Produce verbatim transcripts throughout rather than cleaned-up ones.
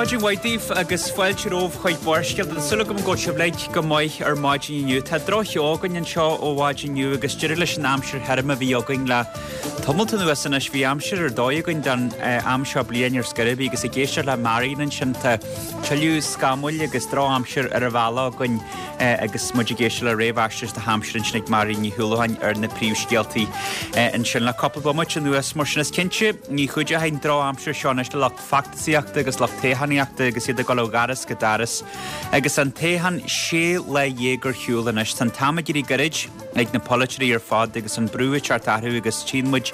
Maidin mhaith daoibh agus fáilte romhaibh chuig Barrscéalta. Tá súil agam go bhfuil sibh uilig go maith ar maidin inniu. Tá droch-cheo againn anseo ó mhaidin inniu agus deireadh leis an aimsir thirim a bhí againn le tamalt anuas anois. Bhí aimsir ar dóigh againn don am seo bliain ar scor ar bith agus ag éisteacht le Marion ansin tá tuilleadh scamaill agus drochaimsir ar an bhealach againn agus muid ag éisteacht le réamhaisnéis na haimsire ansin ag Marion Ní Shúilleabháin ar na príomhscéaltaí ansin le cúpla bomaite anuas. Mar sin is cinnte ní chuideoidh an drochaimsir seo anois le lucht feachtasaíochta agus lucht toghchánaíochta agus iad ag dul ó dhoras go doras. Agus an toghchán sé lá dhéag ar shiúl anois. Tá an t-am ag éirí gairid ag na polaiteoirí ar fad agus an brú ag teacht orthu agus tchíonn muid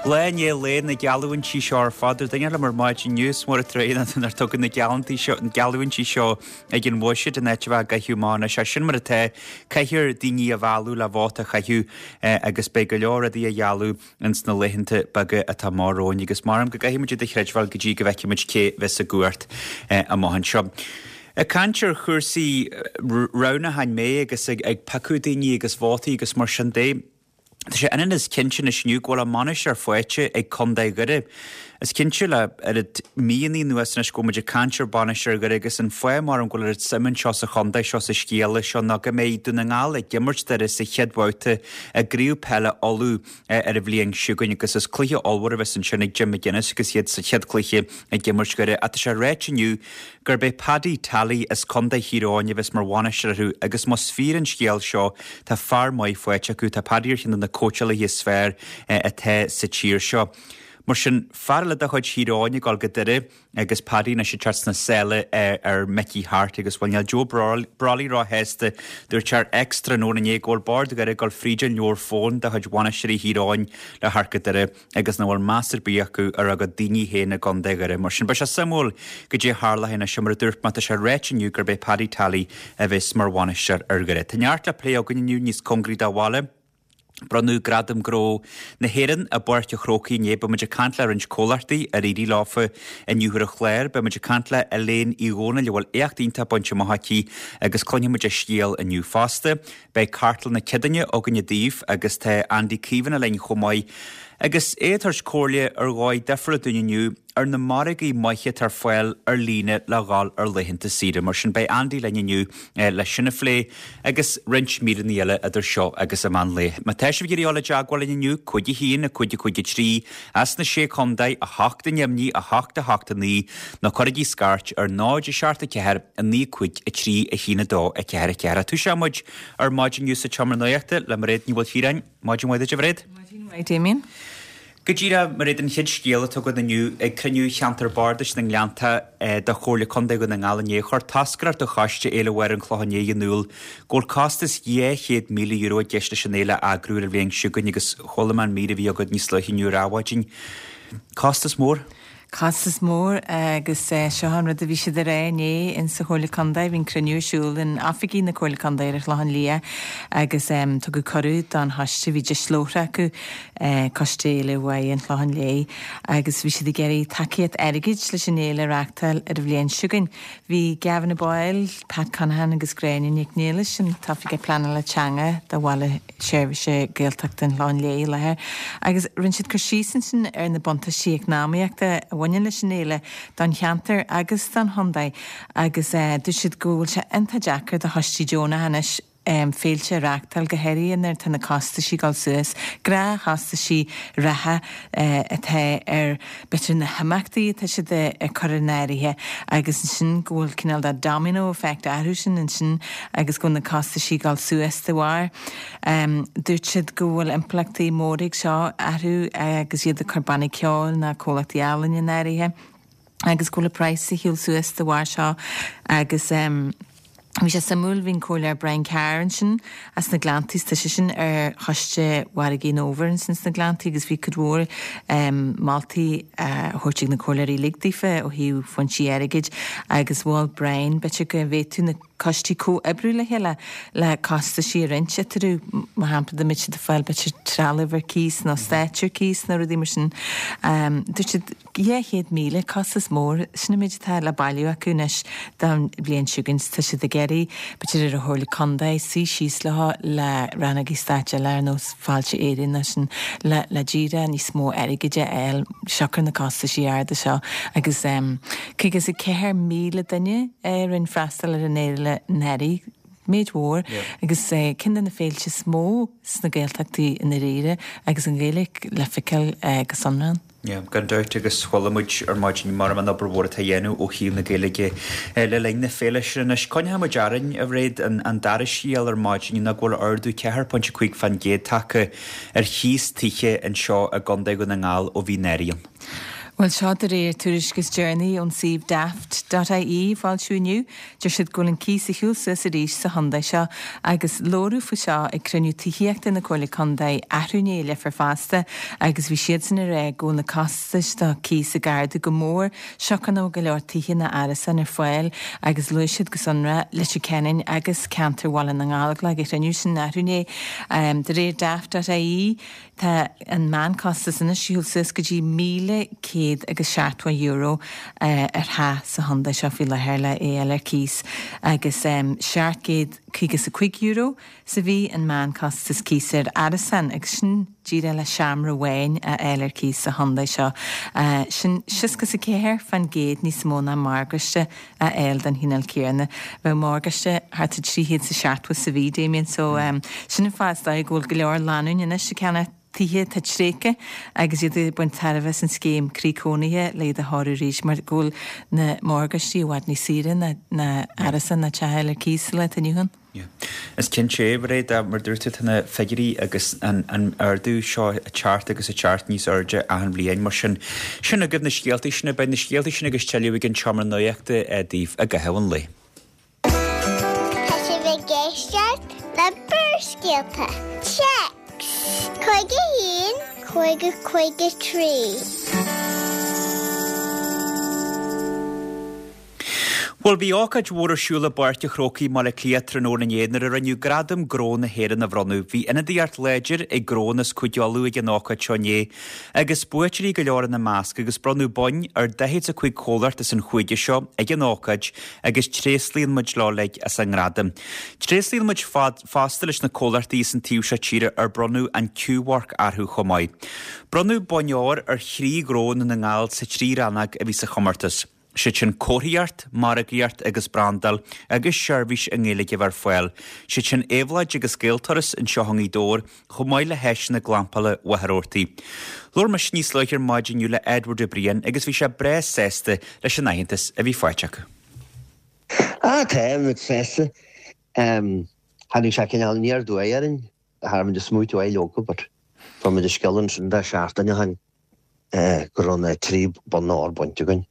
lá i ndiaidh lae na geallúintí seo ar fad. Dúirt duine liom ar maidin inniu, is mór an trua nár tugadh na geallúintí seo ag an bhuiséad in áit a bheith á gcaitheamh amach anois. Ach sin mar atá, caithfear daoine a mhealladh le vóta a chaitheamh agus beidh go leor rudaí á ghealladh ins na laethanta beaga atá amach romhainn agus maram go gcaithfidh muid iad a chreidbheáil go dtí go bhfeicfidh muid cé bheas i gcumhacht amach anseo. Ag caint ar chúrsaí roghnúcháin mé agus ag ag piocadh daoine agus vótaí agus mar sin de, tá sé ionann is cinnte anois inniu go bhfuil a mbainisteoir faighte ag Contae Dhoire. Is cinnte le oiread míonna anuas anois go bhfuil muid ag caint ar bhainisteoir Dhoire agus an fáth maram go bhfuil oiread suim anseo sa chontae seo sa scéala seo ná go mbeidh Dún na nGall ag imirt Doire sa chéad bhabhta i gCraobh Peile Uladh ar an bhliain seo chugainn agus is cluiche ollmhór a bheas ansin ag Jim McGuinness agus iad sa chéad chluiche ag imirt Dhoire. Ach tá sé ráite inniu gurb é Paddy Tally as Contae Thír Eoghain a bheas mar bhainisteoir orthu agus más fíor an scéal seo tá fear maith faighte acu, tá Paddy ar cheann de na cóitseálaithe is fearr atá sa tír seo. Mar sin, fear eile de chuid Thír Eoghain ag dul go Doire agus Paddy anois ag teacht sna sála ar Mickey Harte agus bhuel níl Joe Brolly róshásta. Dúirt sé ar X tráthnóna inné go bhfuil bord Dhoire ag dul fríd an leabhar fóin de chuid bhainisteoirí Thír Eoghain le theacht go Doire agus nach bhfuil meas ar bith acu ar a gcuid daoine féin i gContae Dhoire. Mar sin, beidh sé suimiúil goidé a tharlóidh anois mar a dúirt mé tá sé ráite inniu gurb é Paddy Tally a bheas mar bhainisteoir ar Dhoire. Tá neart le plé againn inniu níos cóngaraí do bhaile. Bronnadh Gradam Gnó na hÉireann i bPáirc an Chrócaigh inné. Beidh muid ag caint le roinnt comhlachtaí ar éirigh leofa inniu ar an chlár. Beidh muid ag caint le Elaine Uí Dhónaill a bhfuil éacht iontach bainte amach aici agus cluinfidh muid a scéal inniu fosta. Beidh Cartlann na Ceadaoine againne daoibh agus tá Andy Caomhánach linn chomh maith agus é ag tabhairt comhairle ar dhóigh difriúil dúinn inniu ar na margaí maithe atá ar fáil ar líne le dhul ar laethanta saoire. Mar sin beidh Andy linn inniu leis sin a phlé agus roinnt míreanna eile idir seo agus an meán lae. Má tá sibh ag iarraidh dul i dteagmháil linn inniu, cúig a haon, a cúig a cúig a trí, as na Sé Chontae, a hocht i nDoimní, a hocht a hocht a naoi, nó cuirigí scairt ar náid a seacht a ceathair, a naoi cúig a trí, a haon a dó, a ceathair a ceathair. Tosóidh muid ar maidin inniu sa tseomra nuachta le Mairéad Ní Mhaoilchiaráin. Maidin mhaith duit, a Mhairéad. Maidin mhaith, Damien. Go díreach, Mairéad, an chéad scéal atá againn inniu, ag cruinniú Cheantar Bardais na nGleannta de Chomhairle Contae Dhún na nGall inné, chuir toscaireacht do Choiste Fhéile Mháire an Chlocháin Léith in iúl go bhfuil costas dhá chéad míle euro i gceist leis an fhéile a eagrú ar an bhliain seo chugainn agus chuala mé an mír a bhí agat níos luaithe inniu ar Adhmhaidin. Costas mór? Costas mór agus seo an rud a bhí siad a rá inné in sa Chomhairle Contae. Bhí an cruinniú ar siúl in oifigí na Comhairle Contae ar an Chlochán Liath agus tugadh cuireadh don choiste, bhí deis labhartha acu, Coiste Fhéile Mháire an Chlocháin Léith, agus bhí siad ag iarraidh tacaíocht airgid leis an fhéile a reáchtáil ar an bhliain seo chugainn. Bhí Gavin de Báil, Pat Conaghan agus Gráinne Nic Niallais, an tOifigeach Pleanála Teanga do Bhaile Seirbhíse Gaeltachta an Chlocháin Léith i láthair agus rinne siad cur síos ansin ar na buntáistí eacnamaíochta a bhaineann leis an fhéile don cheantar agus don chontae agus dúirt siad go bhfuil sé iontach deacair do choistí deonacha anois féilte a reáchtáil, go háirithe nuair atá na costaisí ag dul suas, gnáthchostaisí reatha atá ar b'fhéidir na himeachtaí atá siad ag cur in áirithe agus ansin go bhfuil cineál de domino effect orthu sin ansin agus go bhfuil na costaisí ag dul suas de bharr. Dúirt siad go bhfuil impleachtaí móra ag seo orthu agus iad ag cur bannaí ceoil ná comhlachtaí ealaíne in áirithe agus go bhfuil an praghas ag siúl suas de bharr seo agus bhí sé suimiúil, bhí an Comhairleoir Brian Carr ansin as na Gleanntaí, tá seisean ar choiste Mhargaí an Fhómhair ansin sna Gleanntaí agus bhí cuid mhór moltaí á thabhairt ag na comhairleoirí uilig daofa ó thaobh foinsí airgid agus mhol Brian b'fhéidir go bhféadfadh na coistí comhoibriú le chéile le costaisí a roinnt eatarthu, mar shampla dá mbeadh siad ag fáil b'fhéidir trealamh ar cíos nó stáitse ar cíos nó rudaí mar sin. Dúirt siad dhá chéad míle, costas mór, sin an méid atá le bailiú acu anois don bhliain seo chugainn. Tá siad ag iarraidh, b'fhéidir ar an Chomhairle Contae, suí síos leo le rannógaí stáit eile ar nós Fáilte Éireann nó sin le le díreach níos mó airgid a fháil siocair na costaisí arda seo agus caoga is a ceathair míle duine a rinne freastal ar an fhéile anuraidh, méid mhór agus ceann de na féilte is mó sna Gaeltachtaí i ndáiríre agus an Ghaeilge le feiceáil go sonrath ann. Yeah, gan dabht agus chuala muid ar maidin mar an obair mhór atá á dhéanamh ó thaobh na Gaeilge le linn na féile sin anois. Coinneoidh muid orainn, a Mhairéad, an dara scéal ar maidin ná go bhfuil ardú ceathair pointe cúig fán gcéad tagtha ar chíos tithe anseo i gContae Dhún na nGall ó bhí an earraigh ann. Bhuel, seo de réir tuairisc is deireanaí ón suíomh Daft dot ie a foilsíodh inniu. Deir siad go bhfuil an cíos ar shiúl suas arís sa chontae seo agus labhradh faoi seo ag cruinniú tithíochta na Comhairle Contae athrú inné i Leifear fosta agus bhí siadsan ag rá go bhfuil na costais do cíos ag ardú go mór siocair nach bhfuil go leor tithe ná árasáin ar fáil agus luaigh siad go sonrath Leitir Ceanainn agus ceantar Bhaile na nGallóglach ag an chruinniú sin athrú inné. De réir Daft dot ie Tá an meánchostas anois ar shiúl suas go dtí míle céad agus seachtó euro ar theach sa chontae seo faoi láthair le é a fháil ar cíos agus seacht gcéad caoga is a cúig euro sa mhí an meánchostas cíos ar árasán agus sin díreach le seomra amháin a fháil ar cíos sa chontae seo. Sin seasca is a ceathair fán gcéad níos mó ná morgáiste a fháil den chineál céanna. Bheadh morgáiste thart ar trí chéad is a seachtó sa mhí, Damien, so sin an fáth is dóigh go bhfuil go leor lánúin anois ag ceannach tithe atá tréigthe agus iad ag baint tairbhe as an scéim Croí Cónaithe le iad a chóiriú arís mar go bhfuil na morgáistí i bhfad níos saoire ná ná árasán ná teach a fháil ar cíos sa lá atá inniu ann. Yeah. Is cinnte é, Mairéad, mar dúirt tú, tá na figiúirí agus an an ardú seo ag teacht agus ag teacht níos airde achan bhliain. Mar sin, sin agaibh na scéaltaí sin, beidh na scéaltaí sin agus tuilleadh ag an tSeomra Nuachta daoibh i gcaitheamh an lae. Tá sibh ag éisteacht le Barrscéalta. Téacs cúig a haon, cúig a cúig a trí. Bhuel, bhí ócáid mhór ar siúl i bPáirc an Chrócaigh i mBaile Átha Cliath tráthnóna inné nuair a rinneadh Gradaim Gnó na hÉireann a bhronnadh. Bhí ionadaíocht láidir ag gnónna as Cúige Uladh ag an ócáid seo inné agus buaiteoirí go leor ina measc agus bronnadh boinn ar daichead is a cúig chomhlacht as an chúige seo ag an ócáid agus tréaslaíonn muid leo uilig as a ngradam. Tréaslaíonn muid fosta leis na comhlachtaí as an taobh seo tíre ar bronnadh an Q-Mharc orthu chomh maith. Bronnadh boinn óir ar thrí ghnó i nDún na nGall sa trí rannóg a bhí sa chomórtas. Siad sin comharthaíocht, margaíocht agus brandáil agus seirbhís i nGaeilge a bheith ar fáil. Siad sin Éabhlóid agus Gaelturas anseo i nGaoth Dobhair chomh maith le hÁiseanna Glampála Mhachaire Rabhartaigh. Labhair mise níos luaithe ar maidin inniu le Edward Ó Briain agus bhí sé breá sásta leis an aitheantas a bhí faighte acu. Ah, tá muid sásta. Tháinig sé cineál aniar aduaidh orainn. Cha raibh muid ag smaoitiú air leoga but fuair muid an scéal ansin de seachtain ó shin go raibh na trí bonn óir bainte againn.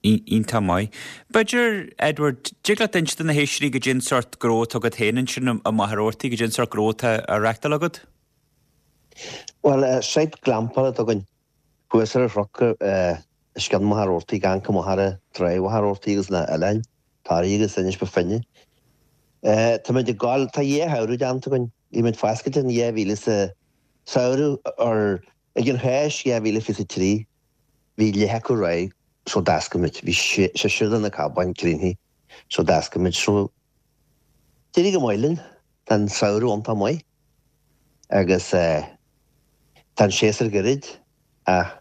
Iontach maith. B'fhéidir, Edward, dtig leat inse do na héisteoirí goidé an sórt gnó atá agat féin ansin i Machaire Rabhartaigh, goidé an sórt gnó atá á reachtáil agat? Bhuel, site glampála atá againn thuas ar an chnoc os cionn Mhachaire Rabhartaigh, ag amharc amach ar Tráigh Mhachaire Rabhartaigh agus na oileáin, Toraigh agus Inis Bó Finne. Táimid ag gabháil, tá dhá shamhradh déanta againn, bhí muid foscailte in dhá mhíle sa samhradh or ag an Cháisc dhá mhíle fiche trí. Bhí leath acu réidh so d'oscail muid. Bhí seisear de na cabáin críochnaithe so d'oscail muid. So d'éirigh go maith linn. Tá an samhradh iontach maith agus tá an séasúr gairid ach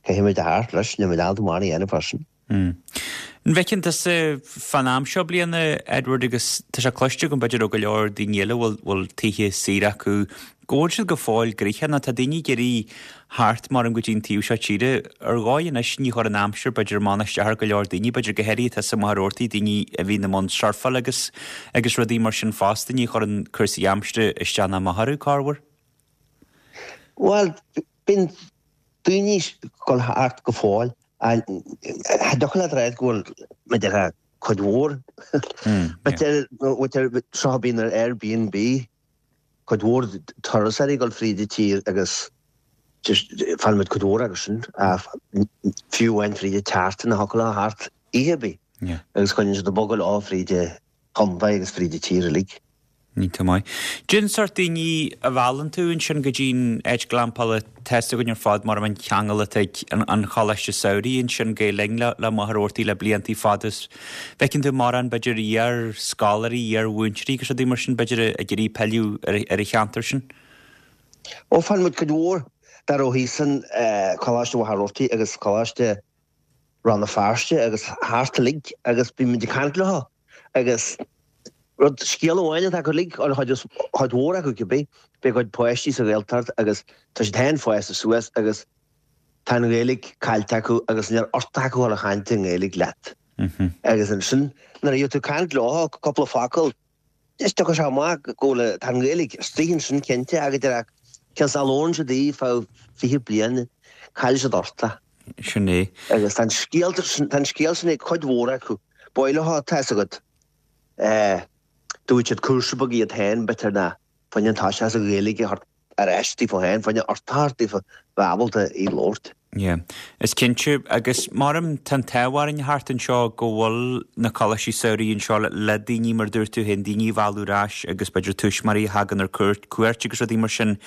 caithfidh muid a theacht leis, níl muid ábalta mórán a dhéanamh freisin. An bhfeiceann tusa fán am seo bliana, Edward, agus tá sé cloiste agam b'fhéidir ó go leor daoine eile a bhfuil tithe saor acu, go bhfuil siad go fóill gnoitheach nó tá daoine ag iarraidh theacht maram go dtí an taobh seo tíre. Ar dhóigh anois ní chuireann an aimsir b'fhéidir amach ná isteach ar go leor daoine, b'fhéidir go háirithe atá sa Mhachaire Rabhartaigh, daoine a bhíonn i mbun surfáil agus agus rudaí mar sin fosta, ní chuireann cúrsaí aimsire isteach ná amach orthu, corruair. Bhuel, bíonn daoine ag dul thart go fóill. Cha dtiocfadh leat a ráit go bhfuil b'fhéidir cuid mhór. B'fhéidir seo a bhíonn ar Airbnb, cuid mhór turasóirí ag dul fríd an tír agus just faigheann muid cuid mhór acu sin. Fiú amháin fríd an tseachtain a thiocfadh leo theacht oíche ar bith agus coinníonn siad ag bogadh leo fríd chontae agus fríd an tír uilig. Iontach maith. Cén sórt daoine a mheallann tú ansin go dtí'n áit glampála tá fhios againn ar fad mar an cheangal atá ag an Choláiste Samhraidh ansin Gael Linn le le Machaire Rabhartaigh le bliantaí fada is bhfeiceann tú mórán b'fhéidir iar-scoláirí, iar-mhúinteoirí agus rudaí mar sin b'fhéidir ag iarraidh pilleadh ar ar an cheantar sin. Ó faigheann muid cuid mhór dá raibh thíos in Coláiste Mhachaire Rabhartaigh agus Coláiste Rann na Feirste agus thart uilig agus bíonn muid ag caint leo agus rud scéal amháin atá acu uilig, or chuid chuid mhór acu cibé, beidh a gcuid páistí sa Ghaeltacht agus tá siad féin fásta suas agus tá an Ghaeilge caillte acu agus níl ort acu dhul a chaint i nGaeilge leat. Agus ansin nuair a bhíonn tú ag caint leo cúpla focal is tiocfaidh sé amach go bhfuil tá an Ghaeilge istigh ansin cinnte agus deir cionn is nach labhrann siad í feadh fiche bliain caillfidh siad ort é. Sin é. Agus tá an scéal tá an scéal sin ag cuid mhór acu. B'áil leo tá fhios agat. Dúirt siad cúrsa beag iad féin b'fhéidir ná fá choinne an toiseacht as an Ghaeilge a thabhairt ar ais daofa féin, fá choinne ort a thabhairt daofa bheith ábalta í labhairt. Yeah. Is cinnte, agus maram tá an t-ádh orainn thart anseo go bhfuil na coláistí samhraidh anseo le daoine mar dúirt tú féin, daoine a mhealladh ar ais agus b'fhéidir tuismitheoirí a thagann ar cuairt, cuairt agus rudaí mar sin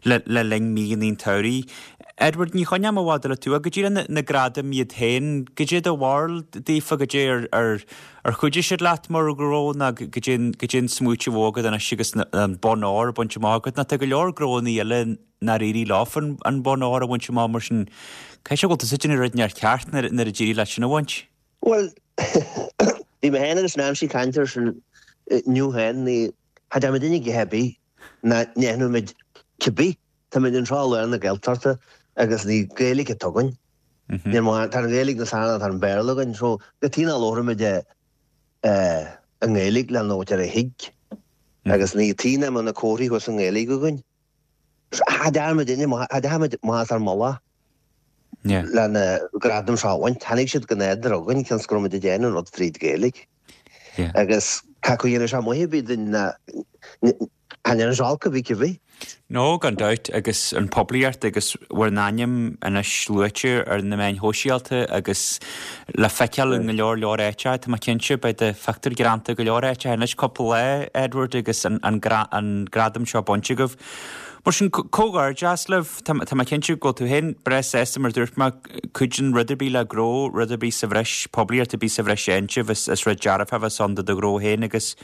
le, le linn míonna an tsamhraidh. Edward, ní choinneoidh mé i bhfad eile tú, ach goidé na, na gradaim iad féin, goidé do bharúil daofa, goidé ar, ar, ar chuidigh siad leat mar ghnó nó goidé, goidé an smaoitiú agat anois agus na, an bonn óir bainte amach agat, nó tá go leor gnónna eile nár éirigh leofa an bonn óir a bhaint amach mar sin caithfidh sé go bhfuil tusa ag déanamh rud inteacht ceart nuair a d'éirigh leat sin a bhaint. Bhuel, bhí mé féin agus Nancy ag caint air sin inniu féin, ní cha deir muid a dhath ar bith ná ndéanfaidh muid cibé, tá muid anseo i lár na Gaeltachta agus ní Gaeilge atá againn. Níl mórán, tá an Ghaeilge níos fearr ná tá an Béarla againn, so cad chuige nach labhróidh muid i nGaeilge le nó deir a thuig agus ní tí nach mbeadh na comharthaí thuas i nGaeilge againn. Cha deir muid inne, cha deir muid maitheas ár mullach le na gradaim seo a bhaint. Tháinig siad go nádúrtha chugainn cionn is go raibh muid ag déanamh an rud fríd Ghaeilge. Agus cé acu a dhéanfaidh sé maith ar bith duinn ná cha ndéanfaidh sé olc ar bith cibé. No, gan dabht, agus an poiblíocht agus bhur n-ainm anois luaite ar na meáin shóisialta agus le feiceáil i go leor leor áiteacha, tá mé cinnte, beidh do phictiúr greanta go leor áiteacha anois cúpla lá, Edward, agus an an gradam seo bainte agaibh. Mar sin, comhghairdeas libh, tá mé cinnte go bhfuil tú féin breá sásta mar dúirt mé, cuidíonn rud ar bith le gnó, rud ar bith sa bhreis, poiblíocht ar bith sa bhreis a dhéanann sibh, is rud dearfach a bheas ann do do ghnó féin agus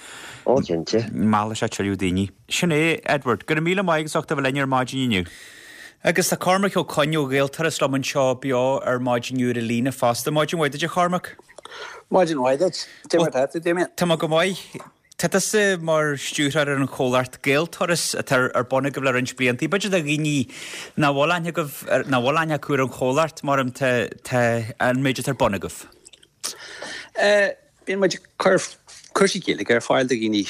Ó, cinnte. meallfaidh sé tuilleadh daoine. Sin é, Edward. Go raibh míle maith agat as ucht a bheith linn ar maidin inniu. Agus tá Cormac Ó Coinn ó Ghaelturas liom anseo beo ar maidin inniu ar an líne fosta. Maidin mhaith duit, a Chormaic. Maidin mhaith duit. Cad é mar atá tú, Damien? Tá mé go maith. Tá tusa mar stiúrthóir ar an chomhlacht Gaelturas atá ar bun agaibh le roinnt blianta. B'fhéidir do dhaoine nach bhfuil aithne agaibh, nach bhfuil aithne acu ar an chomhlacht, mar tá, tá an méid atá ar bun agaibh. Bíonn muid ag cur cúrsaí Gaeilge ar fáil do dhaoine,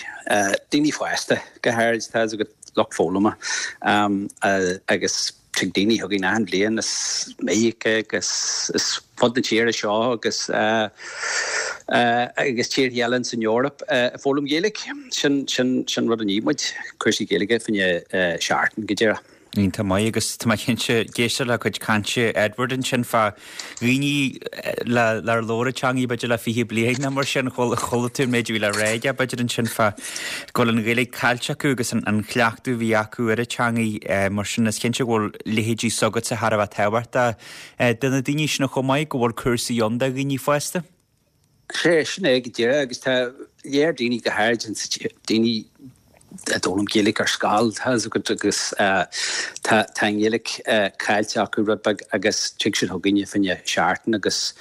daoine fásta go háirid, tá fhios agat, lucht foghlama agus tig daoine chugainn achan bhliain as Meiriceá agus as fud na tíre seo agus agus tíortha eile san Eoraip ag foghlaim Gaeilge. Sin, sin, sin rud a ní muid, cúrsaí Gaeilge fá choinne seachtain go díreach. Iontach maith agus tá mé cinnte ag éisteacht le cuid cainte Edward ansin fá dhaoine le nár labhair an teangaidh b'fhéidir le fiche bliain nó mar sin, chuala tú an méid a bhí le rá aige b'fhéidir ansin fá go bhfuil an Ghaeilge caillte acu agus an chleachtadh a bhí acu ar an teangaidh mar sin is cinnte go bhfuil leithéidí s'agatsa thar a bheith tábhachtach do na daoine sin chomh maith go bhfuil cúrsaí ann do dhaoine fásta. Sea, sin é go díreach agus tá léir daoine go háirid daoine a d'fhoghlaim Gaeilge ar scoil, tá fhios agat agus tá tá an Ghaeilge caillte acu rud beag agus tig siad chugainne fá choinne seachtain agus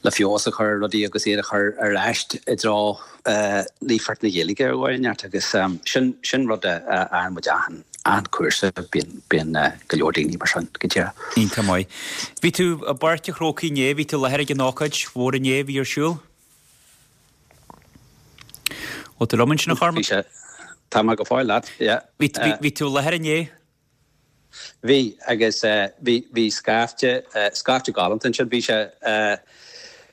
le feabhas a chur ar rudaí agus iad a chur ar ais i dtreo líofacht na Gaeilge ar dhóigh inteacht agus sin sin rud a fhaigheann muid achan achan cúrsa bíonn bíonn go leor daoine mar sin go díreach. Iontach maith. Bhí tú i bPáirc an Chrócaigh inné, bhí tú i láthair ag an ócáid mhór inné a bhí ar siúl? Bhfuil tú liom ansin a Chormaic? Bhí sé. Tá mé go fóill leat, yeah. Bhí bhí tú i láthair inné? Bhí, agus bhí bhí scaifte scaifte galánta ansin. Bhí sé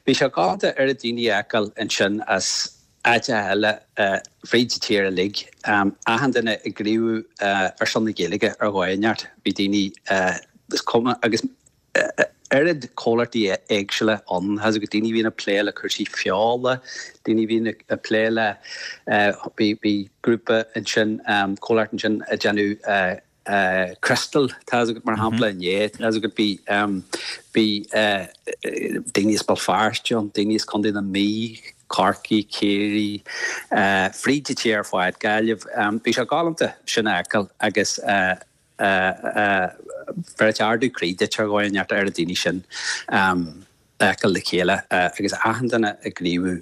bhí sé galánta oiread daoine a fheiceáil ansin as áiteacha eile fríd an tír uilig. Achan duine ag gníomhú ar son na Gaeilge ar dhóigh inteacht. Bhí daoine is cuma agus oiread comhlachtaí éagsúla ann, tá a fhios agat, daoine a bhíonn ag plé le cúrsaí feola, daoine a bhíonn ag plé le, bhí grúpa ansin, comhlacht ansin ag déanamh criostail, tá a fhios agat, mar shampla inné, tá a fhios agat, bhí, bhí daoine as Béal Feirste ann, daoine as Contae na Mí, Corcaigh, Ciarraí, fríd an tír ar fad, Gaillimh, bhí sé galánta sin a fheiceáil agus bheireadh ardú croí duit ar dhóigh inteacht ar na daoine sin a fheiceáil le chéile agus achan duine ag gníomhú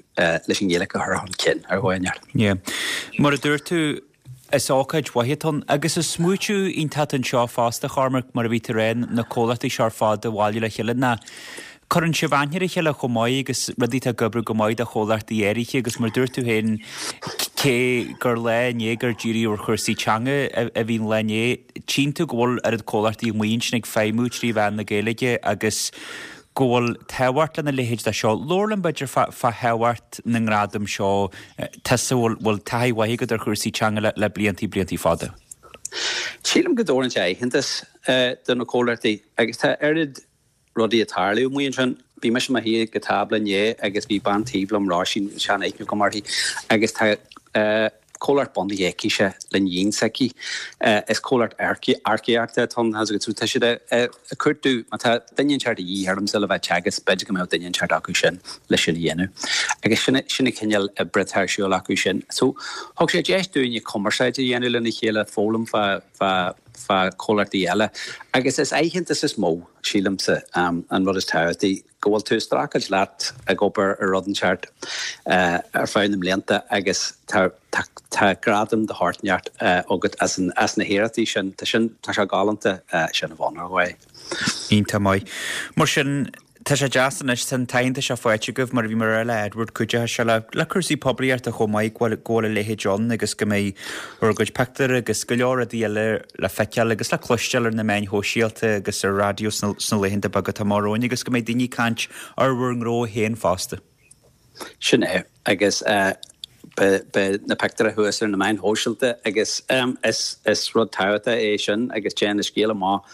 leis an nGaeilge a chur chun cinn ar dhóigh inteacht. Yeah. Mar a dúirt tú, is ócáid mhaith atá ann agus is smaoitiú iontach anseo fosta, Chormac, mar a bhí tú ag rá, na comhlachtaí seo ar fad a bhailiú le chéile ná Cuireann sibh aithne ar a chéile chomh maith agus rudaí atá ag oibriú go maith do chomhlachtaí áirithe agus mar a dúirt tú féin, cé gur lá inné gur díríodh ar chúrsaí teanga a bhí an lá inné, tchíonn tú go bhfuil oiread comhlachtaí amuigh ansin ag feidhmiú trí mheán na Gaeilge agus go bhfuil tábhacht lena leithéid de seo. Labhair liom b'fhéidir fá thábhacht na ngradam seo, tusa a bhfuil taithí mhaith agat ar chúrsaí teanga le bliantaí bliantaí fada. Sílim go dtabharann sé aitheantas do na comhlachtaí agus tá oiread rudaí ag tarlú amuigh ansin. Bhí mise i mo shuí ag an tábla inné agus bhí bean taobh liom, Róisín, sean-aithne agam uirthi, agus tá comhlacht bunaithe aicise le níon s'aici. Is comhlacht earcaíochta atá ann agus tá siad ag cuartú, má tá duine inteacht de dhíth ormsa le bheith ag teagasc, b'fhéidir go mbeadh duine inteacht acu sin le sin a dhéanamh. Agus sin sin an cineál oibre atá ar siúl acu sin. So thug sé deis dúinne cumarsáid a dhéanamh lena chéile, foghlaim fá fá fá chomhlachtaí eile. Agus is aitheantas is mó, sílimse, an rud is tábhachtaí, go bhfuil tú ag streachailt leat ag obair ar rud inteacht ar feadh na mblianta agus tá tá gradam de shórt inteacht agat as an as na hiarrachtaí sin. Tá sin tá sé galánta sin a bheith ann ar dhóigh. Iontach maith. Mar sin, Tá sé deas anois, tá an t-aitheantas seo faighte agaibh, mar a bhí mé a rá le Edward, cuideoidh sé le le cúrsaí poiblíochta chomh maith go bhfuil go bhfuil a leithéid ann agus go mbeidh bhur gcuid pictiúr agus go leor rudaí eile le feiceáil agus le cloisteáil ar na meáin shóisialta agus ar raidió sna sna laethanta beaga atá amach romhainn agus go mbeidh daoine ag caint ar bhur ngnó féin fosta. Sin é, agus beidh na pictiúir thuas ar na meáin shóisialta agus is rud tábhachtach é sin agus téann an scéal amach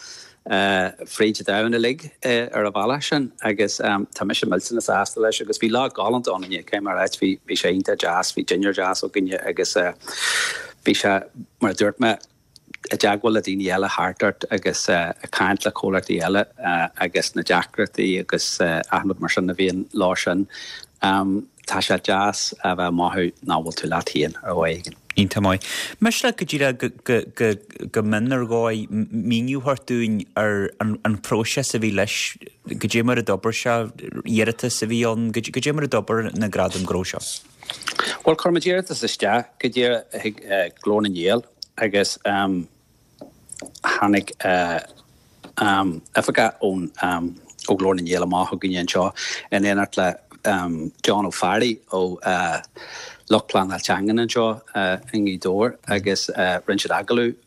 fríd an domhan uilig ar an bhealach sin agus tá mise millteanach sásta leis agus bhí lá galánta ann inné, caithfidh mé a ráit, bhí sé iontach deas, bhí dinnéar deas againne agus bhí sé, mar a dúirt mé, i dteagmháil le daoine eile thart ort agus ag caint le comhlachtaí eile agus na deacrachtaí agus achan rud mar sin a bhíonn leo sin. Tá sé deas a bheith ag mothú nach bhfuil tú leat féin ar dhóigh éigin. Iontach maith. Miste leat go díreach go go mion ar dhóigh míniú a thabhairt dúinn ar an phróiseas a bhí leis, goidé mar a d'obair sé, iarratas a bhí ann, goidé mar a d'obair na Gradaim Gnó seo. Bhuel, chuir muid iarratas isteach go díreach chuig Glór na nGael agus tháinig oifigeach ón ó Ghlór na nGael amach chugainne anseo in éineacht le John Ó Fearraigh ó lucht pleanáil teangan anseo i nGaoth Dobhair agus rinne siad agallamh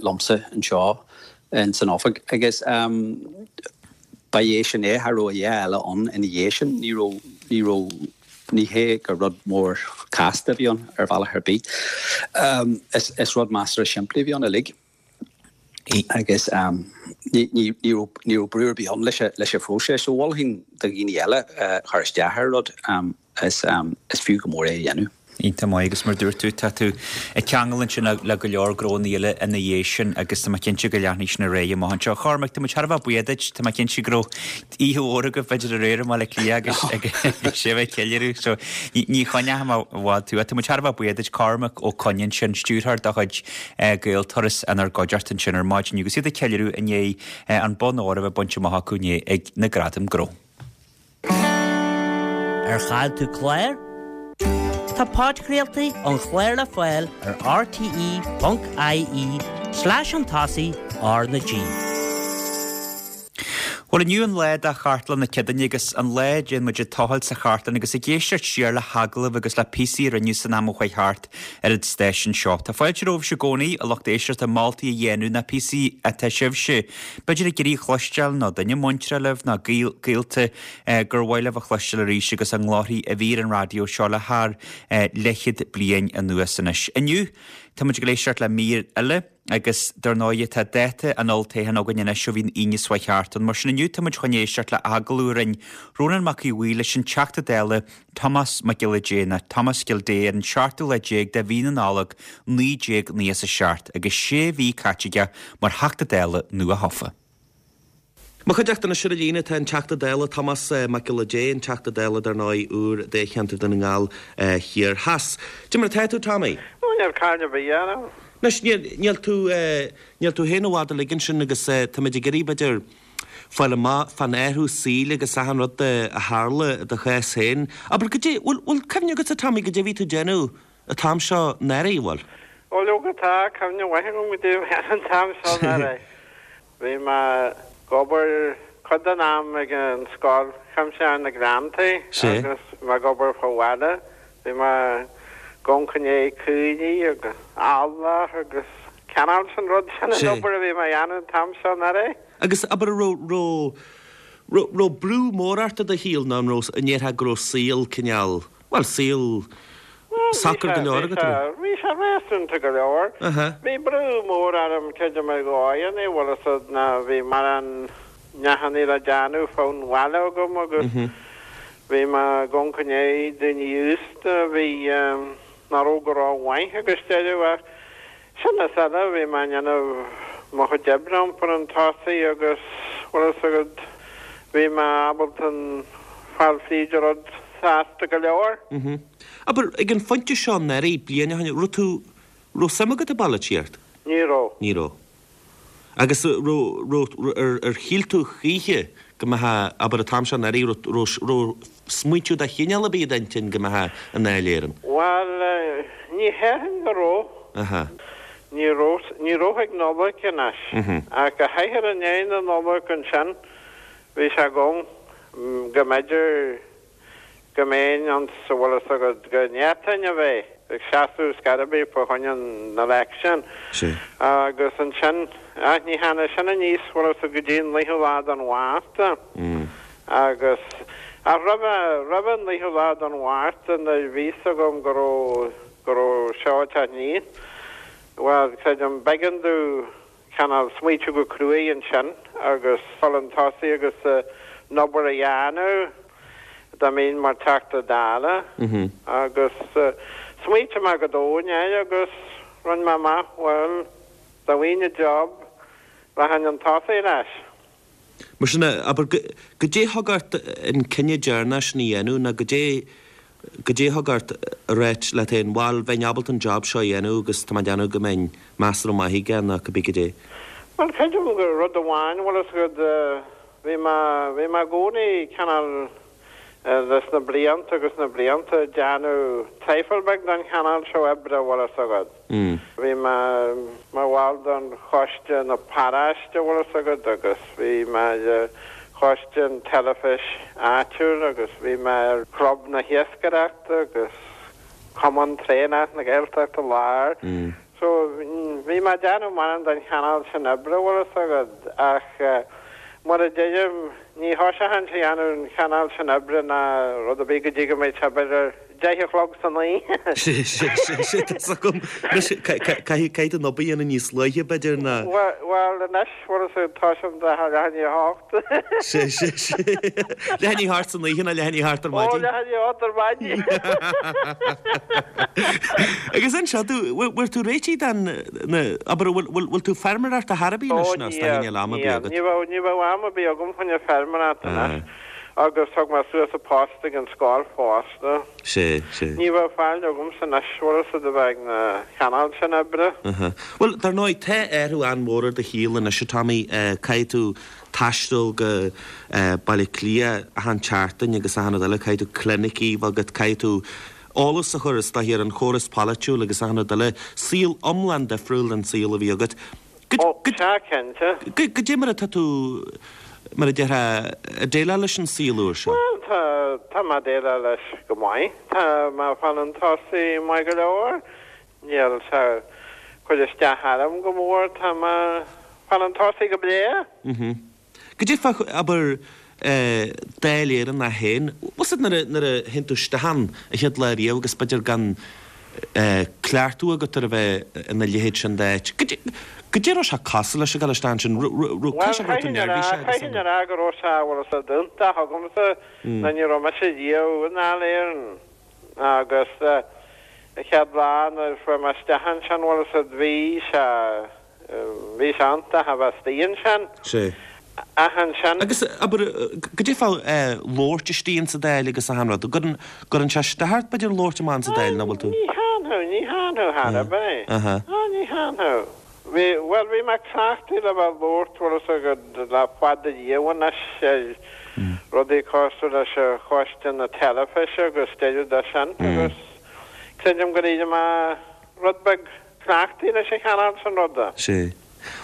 liomsa anseo in san oifig agus ba é sin é, cha raibh a dhath eile ann ina dhiaidh sin, ní raibh, ní raibh, ní hé gur rud mór casta a bhí ann ar bhealach ar bith. Is, is rud measartha simplí a bhí ann uilig agus ní, ní, ní raibh, ní raibh brú ar bith ann leis, leis an phróiseas. So mholfainn do dhaoine eile chur isteach ar rud, is, is fiú go mór é a dhéanamh. Iontach maith agus mar dúirt tú, tá tú ag ceangal ansin le go leor gnónna eile ina dhiaidh sin agus tá mé cinnte go leanfaidh sin ar aghaidh amach anseo. A Chormaic, tá muid thar a bheith buíoch duit, tá mé cinnte go raibh oíche mhór agaibh b'fhéidir aréir i mBaile Átha Cliath agus agus sibh ag ceiliúradh so ní choinneoidh mé i bhfad tú. Tá muid thar a bheith buíoch duit, Cormac Ó Coinn ansin, stiúrthóir de chuid Gaelturas inár gcuideachta ansin ar maidin agus iad ag ceiliúradh i ndiaidh an bonn óir a bheith bainte amach acu inné ag na Gradaim Gnó. Ar chaill tú clár? Tá podchraoltaí an chláir le fáil ar rte.ie slash chun tosaigh R na G. Bhuel, inniu an lá do Chartlann na Céadaoine agus an lá a dtéann muid ag tochailt sa chartlann agus ag éisteacht siar le hagallaimh agus le píosaí a rinneadh san am a chuaigh thart ar an stáisiún seo. Tá fáilte romhaibhse i gcónaí, a lucht éisteachta, moltaí a dhéanamh nó píosaí atá sibhse b'fhéidir ag iarraidh a chloisteáil nó duine muinteartha libh nó gaolta gur mhaith libh a chloisteáil arís agus a nglórthaí a bhí ar an raidió seo le thar leathchéad bliain anuas anois. Inniu, tá muid ag éisteacht le mír eile. Agus dar ndóigh tá dáta an olltoghcháin againn anois ó bhí an Aoine seo thart ann. Mar sin inniu tá muid chun éisteacht le agallamh a rinne Rónán Mac Aodha Bhuí leis an Teachta Dála Tomás Mac Giolla Dé nó Thomas Gildea ar an seachtú lá déag de mhí na Nollag naoi déag naocha is a seacht agus sé mhí caite aige mar Theachta Dála nua-thofa. Mo chuideachta anois ar an líne tá an Teachta Dála Tomás Mac Giolla Dé, an Teachta Dála dar ndóigh úr Dáilcheantar Dhún na nGall Thiar Theas. Cad é mar atá tú, Tommy? Ó, níl caill ar bith orm. Anois, níl, níl tú, níl tú féin i bhfad uilig ansin agus táimid ag iarraidh, b'fhéidir, fáil amach fán athrú saoil agus achan rud a tharla i do chás féin. Abair, goidé, bhfuil, bhfuil cuimhne agatsa, Tommy, goidé a bhí tú ag déanamh an t-am seo anuraidh, bhfuil? Ó, leoga tá cuimhne mhaith agam goidé a bhí an t-am seo anuraidh. Bhí mé ag obair cuid den am ag an Scoil Chuimsitheach na Gleanntaí agus mé ag obair fá bhaile. Bhí mé ag amharc i ndiaidh caoirigh agus eallach agus cineál sin rud sin an obair a bhí mé a dhéanamh an t-am seo anuraidh. Agus abair an raibh, raibh, raibh brú mór ort i do shaol nó an raibh, an ndéarfá go raibh saol cineál, bhuel saol socair go leor agat, an raibh? Bhí sé réasúnta go leor. Bhí brú mór orm creidim ar dhóigheanna, bhfuil fhios a'd, ná bhí mórán neachannaí le déanamh fán bhaile agam agus bhí mé ag amharc i ndiaidh daoine aosta a bhí, nach raibh go rómhaith agus deireadh ach sin is eile bhí mé ag déanamh mo chuid oibre iompar an tosaigh agus bhfuil fhios agat bhí mé ábalta fáil fríd an rud sásta go leor. Abair, ag an phointe seo anuraidh, bliain ó shin, raibh tú, raibh suim agat i bpolaitíocht? Ní raibh. Ní raibh. Agus raibh, raibh, ar, ar shíl tú choíche go mbeifeá, abair, an t-am seo anuraidh, raibh, raibh, raibh smaointiú de chineál ar bith i d'intinn go mbeifeá i nDáil Éireann? Bhuel, ní théarfainn go raibh. Aha. Ní raibh, ní raibh ag Nollaig anois. Ach go háirithe i ndiaidh na Nollag ansin, bhí sé agam go mb'fhéidir go mbeinn ann sa bhfuil fhios agat go bhféadfainn a bheith ag seasamh scor ar bith fá choinne an election agus ansin ach ní tháinig sin aníos bhfuil fhios agat go dtí an naoú lá den Mhárta agus ach roimhe roimhe an naoú lá den Mhárta nuair bhí fhios agam go raibh go raibh seo ag teacht aníos bhuel creidim b'éigean domh cineál smaoitiú go cruaidh ansin agus dul chun tosaigh agus an obair a dhéanamh dá mbeinn mar Teachta Dála agus smaoitigh mé go domhain air agus rinne mé amach, bhuel, dá bhfaighinn an job, rachainn chun tosaigh leis. Mar sin, abair, goidé thug ort an cinneadh deireanach sin a dhéanamh nó goidé Goidé thug ort a ráit leat féin, bhal, bheinn ábalta an job seo a dhéanamh agus tá mé ag déanamh go mbeinn measartha maith aige nó cibé goidé. Bhuel, creidim gur rud amháin, bhfuil fhios agat, bhí mé, bhí mé i gcónaí cineál leis na blianta agus na blianta ag déanamh traidhfil beag den chineál seo oibre, bhfuil fhios agat. Bhí mé mar bhall den choiste na paróiste, bhfuil fhios agat, agus bhí mé ar choiste an teilifis áitiúil agus bhí mé ar chlub na hiascaireachta agus Cumann Traenach na Gaeltachta Láir. So bhí mé ag déanamh mórán den chineál sin oibre, bhfuil fhios agat, ach mar a deirim, ní thoiseochainnse a dhéanamh an chineál sin oibre ná rud ar bith go dtí go mbeidh sé b'fhéidir deich a chlog san oíche. Sé, sé, sé, sé, tá 's agam. Anois, caithfidh tú an obair a dhéanamh níos luaithe, b'fhéidir, ná. Bhuel, anois, bhfuil fhios agat, toisim de leath i ndiaidh a hocht. Sé, sé, sé. Leath i ndiaidh a hocht san oíche ná leath i ndiaidh a hocht ar maidin? Ó, leath i ndiaidh a hocht ar maidin. Agus anseo, tú, bhfuil tú réitithe don, na, abair, bhfuil, bhfuil, bhfuil tú ag feirmeoireacht ar chor ar bith anois Ó, nó is níl, níl am ar bith níl. agat? Ní bheadh, ní bheadh am ar bith agam chun na feirmeoireachta anois. Agus thug mé suas an post ag an scoil fosta. Sé, sé. Ní bheadh faill agamsa anois, bhfuil fhios agat, a bheith ag na chineál sin oibre. Aha. Bhuel, dar ndóigh, tá athrú an-mhór ar do shaol anois, a Tommy. Caithfidh tú taisteal go Baile Átha Cliath achan tseachtain agus achan rud eile, caithfidh tú clinicí a bheith agat, caithfidh tú eolas a chur, is dóiche, ar an chóras polaitiúil agus achan rud eile. Saol iomlán difriúil den saol a bhí agat. Ó, sea, cinnte. Goidé mar atá tú, mar a déarfá, ag déileáil leis an saol úr seo? Bhuel, tá, tá mé ag déileáil leis go maith. Tá mé ag fáil chun tosaigh maith go leor. Níl sé ag cur isteach orm go mór. Tá mé ag fáil chun tosaigh go breá. Mhm. Goidé fá, abair, Dáil Éireann é féin. Bhfuil 's agat nuair a, nuair a théann tú isteach ann an chéad lá riamh agus b'fhéidir gan, cleachtadh agat ar a bheith ina leithéid sin d'áit. Goidé raibh sé cosúil leis ag dul isteach ansin? Raibh Caithfidh sé go raibh tú neirbhíseach agus Caithfidh a rá go raibh sé bhfuil a fhios agat iontach agamsa ná ní raibh mise riamh i nDáil Éireann agus an chéad lá nuair a fuair mé isteach ansin bhfuil a fhios agat bhí sé bhí sé iontach a bheith istigh ansin. Sea. Ach ansin. Agus, abair, goidé fá labhairt istigh insa Dáil agus achan rud? An gcuireann, gcuireann sé isteach ort, b'fhéidir, labhairt amach insa Dáil, nach bhfuil tú? Ní théann, ní théann thar a bith. Aha. Á, ní théann. Bhí, bhuel, bhí mé cleachtaithe le bheith ag labhairt, bhfuil a fhios agat, le fada riamh anois ar rudaí cosúil leis an choiste na teilifíse agus deireadh de sin agus creidim gur éirigh mé rud beag cleachtaithe leis an chineál sin ruda. Sea.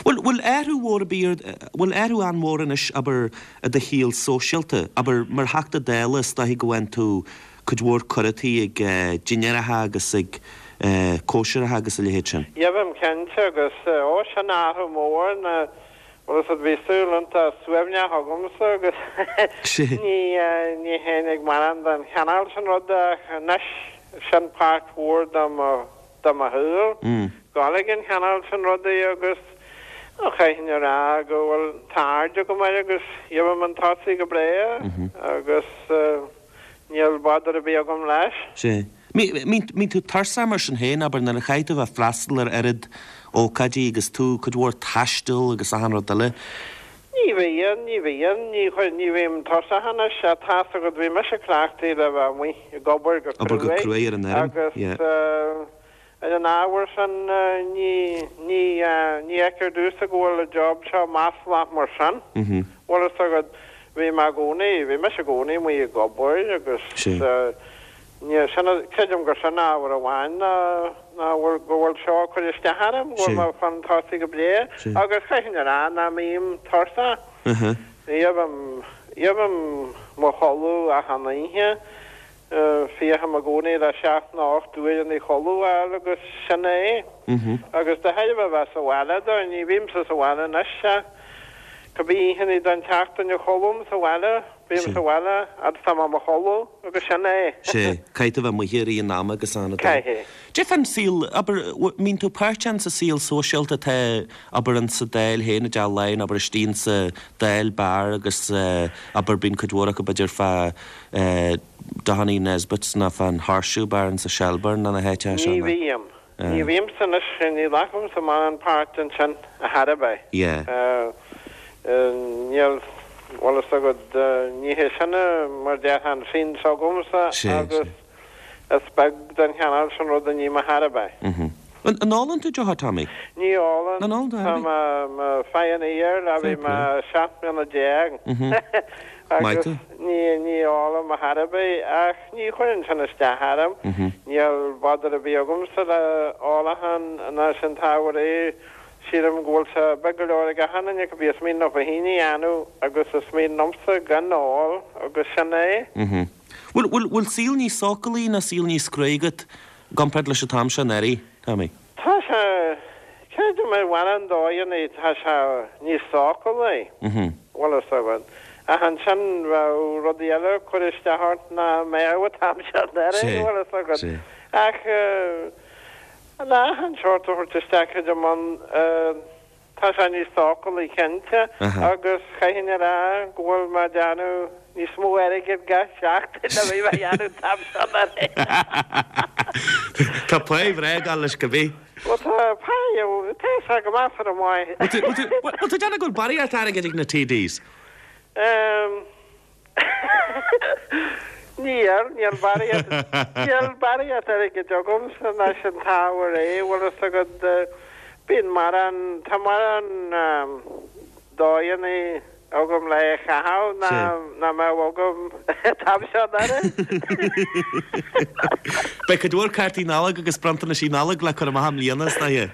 Bhfuil, bhfuil athrú mhór ar bith ar, bhfuil athrú an-mhór anois, abair, i do shaol sóisialta? Abair, mar Theachta Dála, is dóichí go bhfaigheann tú cuid mhór cuireataí ag dinnéaracha agus ag cóisireacha agus a leithéid sin. Gheibhim cinnte agus, ó, sin athrú mór ná, bhfuil a fhios agat, bhí saol iontach suaimhneach agamsa agus ní, ní théinn ag mórán den chineál sin ruda ach anois, sin páirt mhór de mo, de mo shaol, dul ag an chineál sin rudaí agus chaithfinn a rá go bhfuil, tá aird agam air agus gheibhim chun tosaigh go breá agus níl bother ar bith agam leis. Sea. Mbíonn tú tuirseach mar sin féin, abair, nuair a chaithfidh tú a bheith ag freastal ar oiread ócáidí agus tú cuid mhór taistil agus achan rud eile. Ní bhíonn, ní bhíonn, ní chuir, ní bhím tuirseach anois, tá a fhios agat, bhí mise cleachtaithe le bheith amuigh ag obair go Obair go cruaidh cruaidh ar an fheirm, agus yeah. ar an ábhar sin ní, ní, ní fheictear domhsa go bhfuil an job seo maslach mar sin. Bhfuil a fhios agat, bhí mé i gcónaí, bhí mise i gcónaí amuigh ag obair agus Sea. Ní, sin, creidim gur sin ábhar amháin ná, ná bhfuil, go bhfuil seo ag cur isteach orm, go bhfuil mé chun tosaigh go breá agus chaithfinn a rá nach mbím tuirseach. Gheibhim, gheibhim mo chodladh achan oíche, féachaim i gcónaí le seacht nó ocht uaireanna chodladh a fháil agus sin é. Agus de thairbhe a bheith sa bhaile do, ní bhímse sa bhaile anois ach cibé oícheanna den tseachtain a chodlaím sa bhaile, Bím sa bhaile fhad is tá mé i mo chodladh agus sin é. Sea, caithfidh tú a bheith amuigh i rith an ama agus ann. Caithfidh. Cad é fán saol, abair, mbíonn tú páirteach insa saol sóisialta atá, abair, insa Dáil féin, i dTeach Laighean, abair, istigh insa Dáil Bar agus, abair, bíonn cuid mhór acu, b'fhéidir, fá Doheny Nesbitt's nó fán Horseshoe Bar insa Shelbourne nó na háiteacha seo, Ní nó? bhím. Ní bhímse anois, ní ghlacaimse mórán páirt ansin ar chor ar bith. Yeah. Níl, bhfuil a fhios agat, ní hé sin mar déarfá an scene s'agamsa agus is beag den chineál sin rud a ním ar chor ar bith. An ólann tú deoch, a Tommy? Ní ólann. An ólann tú Tá ar bith? mé mo pioneer le bhí Fair mé play. seacht mbliana déag Maith agus tú. ní ní ólaim ar chor ar bith ach ní chuireann sin isteach orm. Níl bother ar bith agamsa le ólachán ná sin t-ábhar é. Sílim go bhfuil sé beag go leor ag achan duine cibé is mian leo féin a dhéanamh agus is mian liomsa gan ól agus sin é. Bhfuil, bhfuil, bhfuil saol níos sócúlaí ná saol níos cruaí agat i gcomparáid leis an t-am seo anuraidh, Tommy? Tá sé, creidim ar mhórán dóigheanna tá sé níos sócúlaí, bhfuil a fhios agat. Ach ansin bheadh rudaí eile ag cur isteach ort nach mbeadh an t-am seo anuraidh, bhfuil a fhios agat. Ach le achan seort a thabhairt isteach creidim ann, tá sé níos sócúlaí cinnte agus chaithfinn a rá go bhfuil mé ag déanamh níos mó airgid gach seachtain ná bhí mé a dhéanamh an t-am seo anuraidh. Tá pá bhreá ag dul leis cibé. Bhuel tá pá, tá sé go measartha maith. Bhfuil tú ag déanamh go bhfuil barraíocht airgid ag na TDs? Níl, níl barraíocht, níl barraíocht airgid agamsa ná sin t-ábhar é, bhfuil a fhios agat, bíonn mórán, tá mórán dóigheanna agam le caitheamh ná, ná mbeadh agam an t-am seo anuraidh. Beidh cuid mhór cártaí Nollag agus bronntanaisí Nollag le cur amach i mbliana, is dóiche.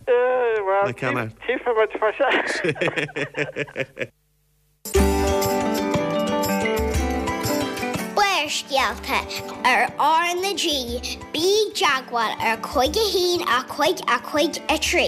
Bhuel, Le ceannach. tchífidh muid fá sin. Barrscéalta ar R na G, bí i dteagmháil ar cúig a haon a cúig a cúig a trí.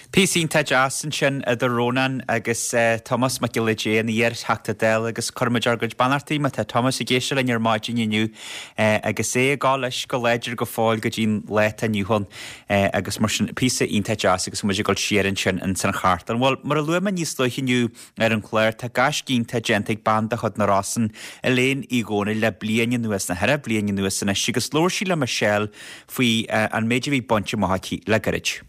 Píosa iontach deas ansin idir Rónán agus Tomás Mac Giolla Dé, an iar-Theachta Dála agus cuirimid ár gcuid beannachtaí má tá Tomás ag éisteacht linn ar maidin inniu agus é ag gabháil leis go láidir go fóill go dtí'n lá atá inniu ann agus mar sin píosa iontach deas agus muid ag dul siar ansin ins an chartlann. Bhuel, mar a luaigh mé níos luaithe inniu ar an chlár, tá gaisce iontach déanta ag bean de chuid na Rosann, Elaine Uí Dhónaill le bliain anuas, nó ceithre bliana anuas anois agus labhair sí le Michelle faoi an méid a bhí bainte amach aici le gairid.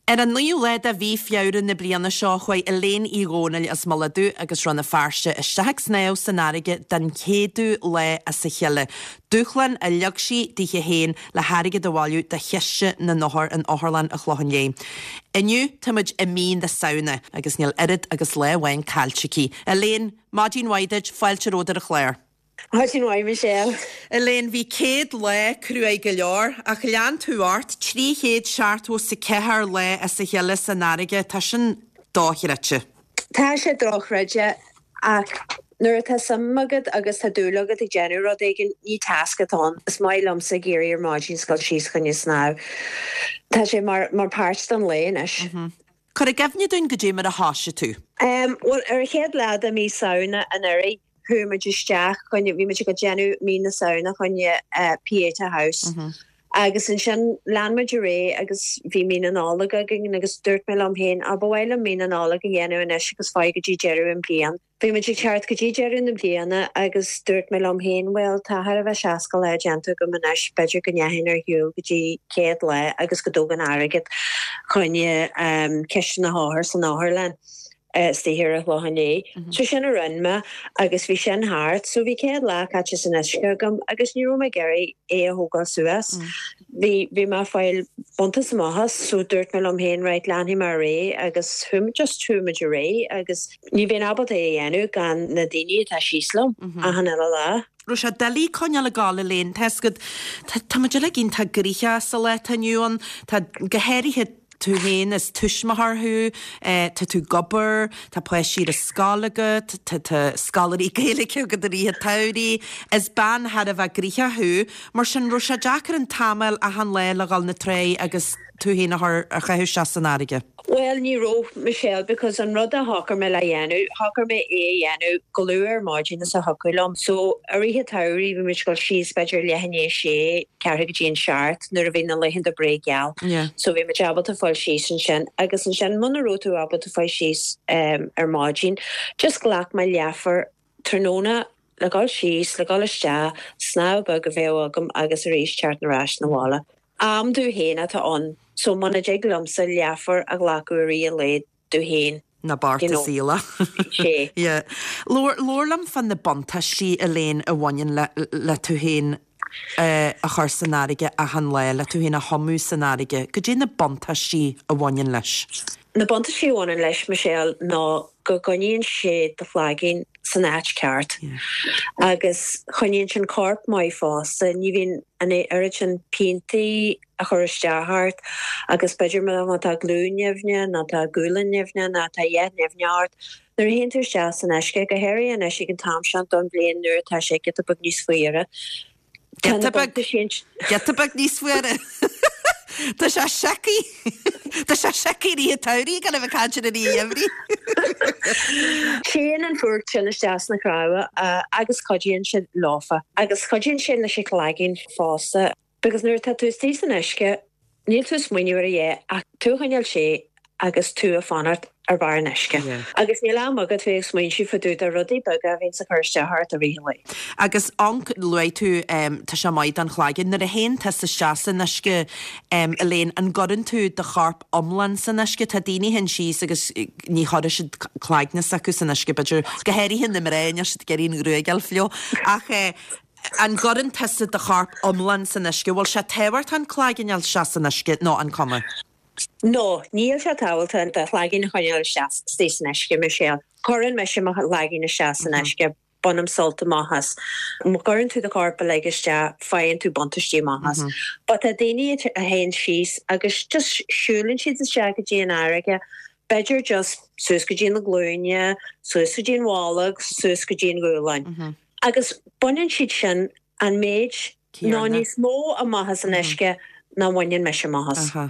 Ar an naoú lá de mhí Feabhra na bliana seo chuaigh Elaine Uí Dhónaill as Mullach Dubh agus Rann na Feirste isteach ag snámh san fharraige den chéadú lá as a chéile. Dúshlán a leag sí dithe féin le hairgead a bhailiú do chiste na n-othar in Otharlann an Chlocháin Léith. Inniu táimid i mí na Samhna agus níl oiread agus lá amháin caillte aici. Elaine, maidin mhaith duit, fáilte romhat ar an chlár. Maidin mhaith Michelle. Elaine, bhí céad lá cruaidh go leor, ach lean tú ort, trí chéad seachtó is a ceathair lá as a chéile san fharraige, tá sin dochreidte. Tá sé dochreidte ach nuair atá suim agat agus tá dúil agat ag déanamh rud éigin, ní tasc atá ann. Is maith liomsa ag éirí ar maidin is dul síos chun snámh. Tá sé mar mar páirt den lae anois. Cuir i gcuimhne dúinn goidé mar a thoisigh tú. Um, well ar an chéad lá de mí Samhna anuraidh, chuaigh muid isteach chun, bhí muid ag déanamh mí na Samhna chun Pieta House. Agus ansin lean muid ar aghaidh agus bhí mí na Nollag againn agus dúirt mé liom féin, á ba mhaith liom mí na Nollag a dhéanamh anois agus fáil go dtí deireadh an bliain. Bhí muid ag teacht go dtí deireadh na bliana agus dúirt mé liom féin, bhuel tá thar a bheith seasca lá déanta agam anois, b'fhéidir go ndeachainn ar shiúl go dtí céad lá agus go dtógann airgead chun ciste na hothar san otharlann. istigh ar an Chlochán Liath. So sin a rinne mé agus bhí sin thart. So bhí céad lá caite san uisce agam agus ní raibh mé ag iarraidh é a thógáil suas. Bhí bhí mé ag fáil buntáiste amach as so dúirt mé liom féin right leanfaidh mé ar aghaidh agus chuaigh just chuaigh muid ar aghaidh agus ní bheinn ábalta é a dhéanamh gan na daoine atá síos liom achan uile lá. Raibh sé doiligh coinneáil ag gabháil Elaine, tá fhios agat, tá muid uilig iontach gnoitheach sa lá atá inniu ann, tá go háirithe tú féin is tuismitheoir thú, tá tú ag obair, tá páistí ar scoil agat, tá tá scoláirí Gaeilge agat i rith an tsamhraidh, is bean thar a bheith gnoitheach thú, mar sin raibh sé deacair an t-am a fháil achan lá le dhul na trá agus tú féin a chur a chaitheamh isteach san fharraige. Bhuel, ní raibh, Michelle, because an rud a shocraigh mé le dhéanamh, shocraigh mé é a dhéanamh chomh luath ar maidin is a thiocfadh liom. So, i rith an tsamhraidh bhí muid ag dul síos b'fhéidir leath i ndiaidh a sé, ceathrú go dtí an seacht nuair a bhí na laethanta breá geal. Yeah. So bhí muid ábalta fáil síos ansin agus ansin muna raibh tú ábalta fáil síos um, ar maidin, just ghlac mé leathuair tráthnóna le dhul síos, le dhul isteach, snámh beag a bheadh agam agus arís teacht ar ais na bhaile. Am dom féin atá ann, so muna dtig liomsa leathuair a ghlacadh i rith an lae dom féin. Na bearta You know. saoile. Sé. Yeah. Labhair labhair liom fá na buntáistí Elaine a bhaineann le le tú féin eh, a chur san fharraige achan lá, le tú féin a thumadh san fharraige. Goidé na buntáistí a bhaineann leis. Na buntáistí a bhaineann leis Michelle ná go gcoinníonn sé do chlaigeann san áit ceart. Agus choinníonn sin corp maith fosta, ní bhíonn an oiread sin piantaí a chur isteach ort agus b'fhéidir má tá glúin nimhneach nó tá gualainn nimhneach nó tá a dhath nimhneach ort. Nuair a théann tú isteach san uisce go háirithe anois ag an t-am seo don bhliain nuair atá sé giota beag níos fuaire. Tá na Giota beag buntáistí Giota beag níos fuaire. Tá sé seicí Tá sé seicí rí tairí gan a bheith caint ar an gheimhreadh. Téann an fuacht sin isteach sna cnámha uh, agus cuidíonn sé leofa agus cuidíonn sé leis an chlaigeann fosta because nuair atá tú istigh san uisce níl tú smaoineamh ar a dhath ach tú a choinneáil sé agus tú a fanacht ar bharr an uisce. Yeah. Agus níl am agat bheith ag smaointiú fá dtaobh de rudaí beaga a bhíonn sa chur isteach ort i rith an lae. Agus an luaigh tú um, tá sé maith don chlaigeann nuair a théann tusa isteach san uisce um, Elaine an gcuireann tú do chorp iomlán san uisce tá daoine théann síos agus eh, ní chuirfidh siad cloigne s'acu san uisce b'fhéidir go háirithe na mná níl siad ag iarraidh an ghruaig a fhliuch ach eh, an gcuireann tusa do chorp iomlán san uisce bhfuil sé tábhachtach an cloigeann isteach san uisce nó an cuma. No, níl sé tábhachtach do chloigeann a choinneáil isteach istigh san uisce Michelle. Cuireann mise mo chloigeann isteach san uisce bainim sult amach as. Má chuireann tú do chorp uilig isteach faigheann tú buntáistí amach as. But tá daoine a théann síos agus just siúlann siad isteach go dtí an fharraige, b'fhéidir just suas go dtí na glúine, suas go dtí an bholg, suas go dtí an ghualainn. Agus baineann siad sin an méid ná Céanna. níos mó amach as an uisce ná baineann mise amach as. Aha.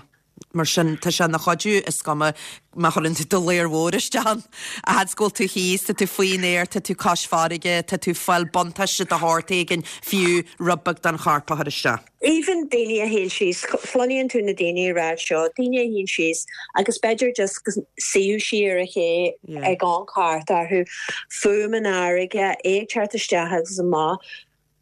Mar sin, tá sé ina chuidiú, is cuma má chuireann tú do ladhar mhór isteach ann, a fhad is go bhfuil tú thíos, tá tú faoin aer, tá tú cois farraige, tá tú ag fáil buntáiste de shórt éigin, fiú rud beag den chorp a chur isteach. Even daoine a théann síos, cluineann tú na daoine ag rá seo, daoine a théann síos agus b'fhéidir just go suíodh siar ar an ché ag amharc thart orthu, fuaim an fharraige, é ag teacht isteach agus amach.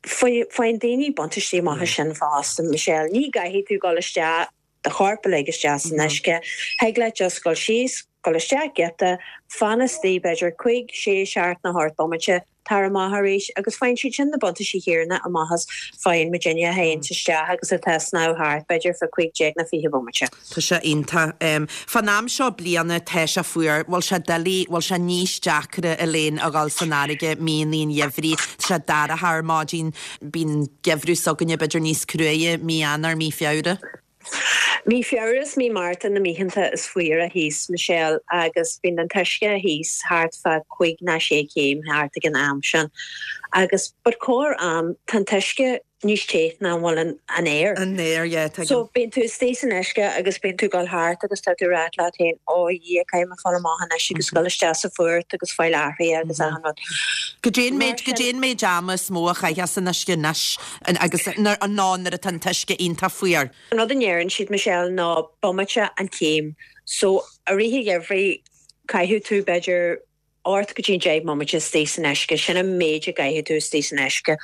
Faigheann daoine buntáistí amach as sin fosta, Michelle. Ní gcaithfidh tú dul isteach, do chorp a lig isteach san uisce. Thig leat just dul síos, dul isteach giota, fan istigh b'fhéidir cúig, sé, seacht nó ocht bomaite, tar amach arís agus faigheann siad sin na buntáistí chéanna amach is faigheann muidinne a théanns isteach agus atá ag snámh thart b'fhéidir fá cúig déag nó fiche bomaite. Tá sé iontach. Fán am seo bliana tá sé fuar, bhfuil sé doiligh, bhfuil sé níos deacra Elaine a dhul san fharraige míonna an gheimhridh, tá sé dorcha ar maidin, bíonn geimhreadh s'againne b'fhéidir níos cruaidhe mí Eanáir, mí Feabhra. Mí Feabhra is mí Márta na mícheanta is fuaire thíos, Michelle, agus bíonn an t-uisce thíos thart fá cúig ná sé chéim thart ag an am sin. Agus but corr am tá an t-uisce níos te ná an bhfuil an an aer. An aer, yeah, tuigim. So bíonn tú istigh san uisce agus bíonn tú ag dul thart agus tá tú ag rá leat féin, ó a Dhia, caithfidh mé fáil amach anois agus dul isteach sa fuacht agus fáil athraithe agus achan rud. Goidé an méid, goidé an méid ama is mó a chaithfeá san uisce anois agus nó nuair atá an t-uisce iontach fuar? An rud a ndeireann siad, Michelle, ná bomaite an chéim. So, i rith an gheimhridh, caithfidh tú, b'fhéidir, ocht go dtí deich mbomaite istigh san uisce. Sin an méid a gcaithfidh tú istigh san uisce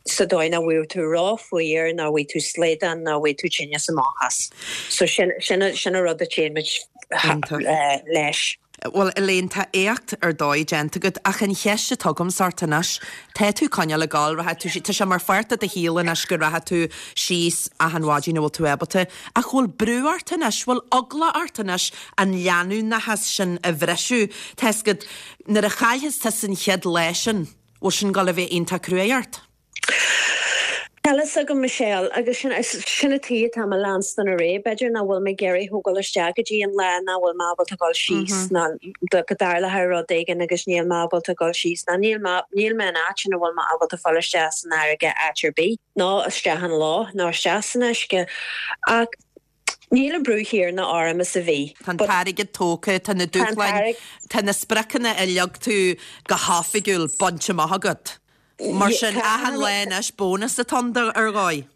sa dóigh nach bhfaighidh tú ró-fhuar, nach bhfaighidh tú slaghdán, nach bhfaighidh tú tinneas amach as. So, sin, sin, sin an rud a téann muid leis. Bhuel, Elaine, tá éacht ar dóigh déanta agat, ach an cheist atá agamsa ort anois, tá tú coinneáil ag gabháil, rachaidh tú, tá sé mar pháirt de do shaol anois go rachaidh tú síos achan mhaidin a bhfuil tú ábalta, ach bhfuil brú ort anois, bhfuil eagla ort anois an leanúnachas sin a bhriseadh? Tá 'fhios agat, nuair a chaillfeas tusa an chéad lá sin, bhfuil sin ag gabháil a bheith iontach cruaidh ort? Níl a fhios agam Michelle, agus sin sin an tuige atá mé leanstan ar aghaidh. B'fhéidir nach bhfuil mé ag iarraidh thógáil isteach go dtí an lá nach bhfuil mé ábalta dul síos ná go dtarlóidh rud éigin agus níl mé ábalta dul síos ná níl mé níl mé in áit ina bhfuil mé ábalta fáil isteach san fharraige áit ar bith, ná isteach an loch ná isteach san uisce. Ach níl an brú chéanna orm is a bhí. Tá an t-airgead tógtha, tá na dúshláin, tá na spriocanna a leag tú go hoifigiúil bainte amach agat. Mar sin, achan lá anois bónas atá ann ar dhóigh.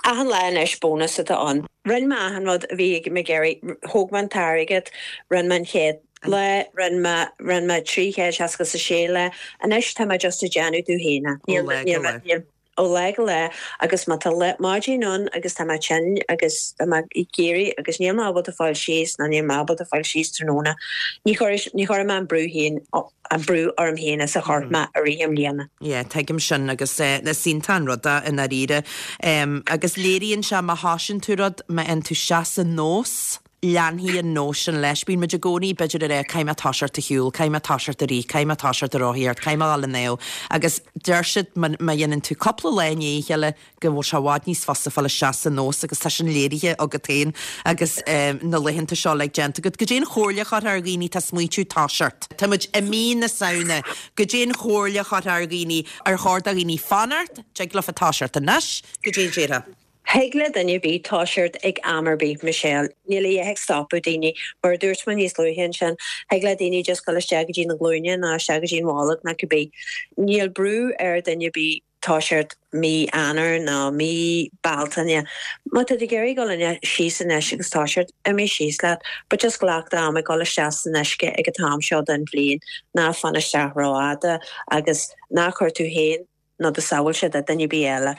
Achan lá anois bónas atá ann. Rinne mé achan rud a bhí mé ag iarraidh. Thóg mé an t-airgead, rinne mé an chéad lá, rinne mé, rinne mé trí chéad seasca is a sé lá. Anois tá mé just ag déanamh domh féin é. Ó lá go lá. Níl, ó lá go lá agus má tá lá, maidin ann agus tá mé tinn agus tá mé ag iarraidh agus níl mé ábalta fáil síos nó níl mé ábalta fáil síos tráthnóna, ní chuirfidh, ní chuirfidh mé an brú féin an brú orm féin is a chuir mé i rith na mbliana. Yeah, tuigim sin agus is iontach an rud é i ndáiríre. Agus léiríonn sé má thosaíonn tú rud, má fhaigheann tú isteach sa nós, leanfaidh an nós sin leis. Bíonn muid i gcónaí b'fhéidir ag rá caithfidh mé toiseacht a shiúl, caithfidh mé toiseacht a rith, caithfidh mé toiseacht a rothaíocht, caithfidh mé a dhul ag snámh. Agus deir siad má dhéanann tú cúpla lá i ndiaidh a chéile, go bhfuil sé i bhfad níos fusa fáil isteach sa nós agus tá sin léirithe agat féin agus na laethanta seo uilig déanta agat. Goidé an chomhairle a chuirfeá ar dhaoine atá ag smaointiú toiseacht? Tá muid i mí na Samhna. Goidé an chomhairle a chuirfeá ar dhaoine? Ar chóir do dhaoine fanacht? Dtig leofa toiseacht anois? Goidé a déarfá? Thig le duine ar bith toiseacht ag am ar bith, Michelle. Níl a dhath ag stopadh daoine. Mar a dúirt mé níos luaithe ansin, thig le daoine just dul isteach go dtí na glúine nó isteach go dtí an bholg nó cibé. Níl brú ar duine ar bith toiseacht mí Eanáir nó mí Bealtaine. Má tá tú ag iarraidh dul ina síos anois agus toiseacht, imigh síos leat, but just glac d'am ag dul isteach san uisce ag an t-am seo den bhliain, ná fan isteach rófhada agus ná cuir tú féin nó do shábháilteacht duine ar bith eile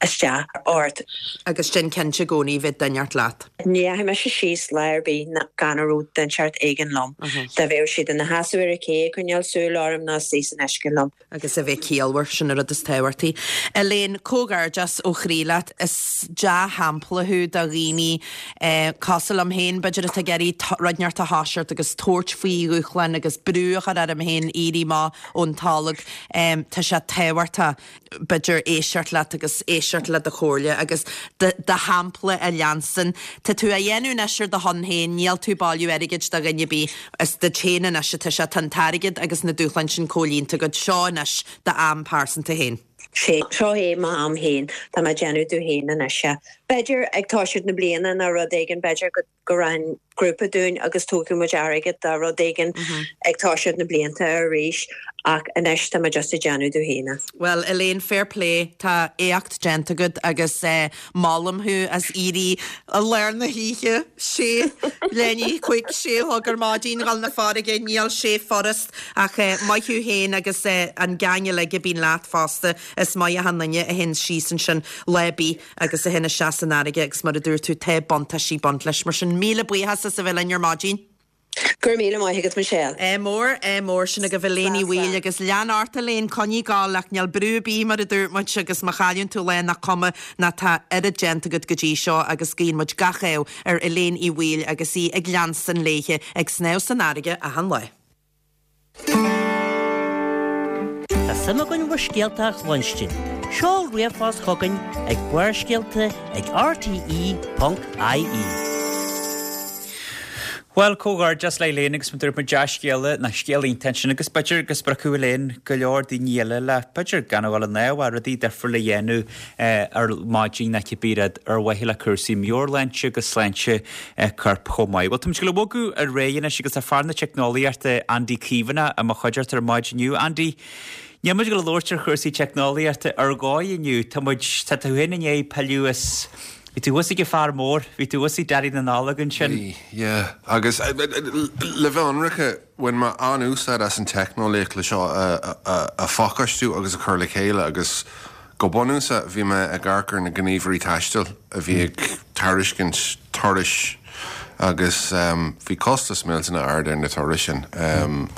isteach ort. Agus déan cinnte i gcónaí bheith duine inteacht leat. Ní dheachaigh mise síos lá ar bith gan a raibh duine inteacht éigin liom. Dá bheadh siad ina sheasamh ar an ché ag coinneáil súil orm nó istigh san uisce liom. Agus a bheith ciallmhar, sin an rud is tábhachtaí. Elaine, comhghairdeas ó chroí leat. Is dea-shampla thú do dhaoine cosúil liom féin, b'fhéidir, atá ag iarraidh rud inteacht a thoiseacht agus tabhairt faoi dhúshláin agus brú a chur orm féin éirí amach ón tolg. Tá sé tábhachtach. b'fhéidir, éisteacht leat agus éisteacht le do chomhairle agus do shampla a leanstan. Tá tú á dhéanamh anois ar do shon féin, níl tú ag bailiú airgid do dhuine ar bith, is duit féin anois atá sé, tá an t-airgead agus na dúshláin sin comhlíonta agat, seo anois d'am pearsanta féin. Sea, seo é m'am féin, tá mé ag déanamh domh féin anois é. B'fhéidir ag toiseacht na bliana nó rud éigin b'fhéidir go go rachainn grúpa dúinn agus tógfaidh muid airgead dá rud éigin ag toiseacht na blianta arís ach anois tá mé just ag déanamh domh féin. Well Elaine fair play tá éacht déanta agat agus eh, molaim thú as éirí i lár na hoíche sé lení chuig sé thug ar maidin dhul na farraige níl sé furast ach eh, maith thú féin agus eh, an gang uilig a bíonn leat fosta is maith an duine a théann síos ansin lá ar bith agus a théann isteach san fharraige agus mar a dúirt tú tá buntáistí ag baint leis mar sin míle buíochas as a bheith linn ar maidin. Gur míle maith agat Michelle. É mór é mór sin agaibh Elaine Uí Bhaoill agus lean ort Elaine coinnigh ag gabháil ach níl brú ar bith mar a dúirt muid agus má chailleann tú lá nach cuma ná tá oiread déanta agat go dtí seo agus guíonn muid gach ádh ar Elaine Uí Bhaoill agus í ag leanstan léithe ag snámh san fharraige achan lá. Tá suim againn bhur scéalta a chluinstin. Seol ríomhphost chugainn ag Barrscéalta ag RTE.ie. Well comhghairdeas le Elaine agus dúirt muid dea-scéala na scéal iontach agus b'fhéidir go spreagfaidh Elaine go leor daoine eile le b'fhéidir gan a bhfuil an náhar rudaí difriúla a dhéanamh ar maidin na cibé rud ar mhaithe le cúrsaí meabhairshláinte agus sláinte coirp chomh maith. Well táimid ag bogadh ar aghaidh anois agus tá fear na teicneolaíochta Andy Caomhánach i mo chuideachta ar maidin inniu. Andy, Níl muid ag labhairt ar chúrsaí teicneolaíochta ar dhóigh inniu Tá muid tá tú féin i ndiaidh pilleadh as Bhí tú thuas ag an fear mór, bhí tú thuas ag Daidí na Nollag ansin. Bhí, yeah. Agus le bheith ionraic bhain mé an-úsáid as an teicneolaíocht le seo a phacáistiú agus a chur le chéile agus go bunúsach bhí mé ag amharc ar na gníomhairí taistil a bhí ag tairiscint turais agus um, bhí costas millteanach ard ar na turais sin. Um,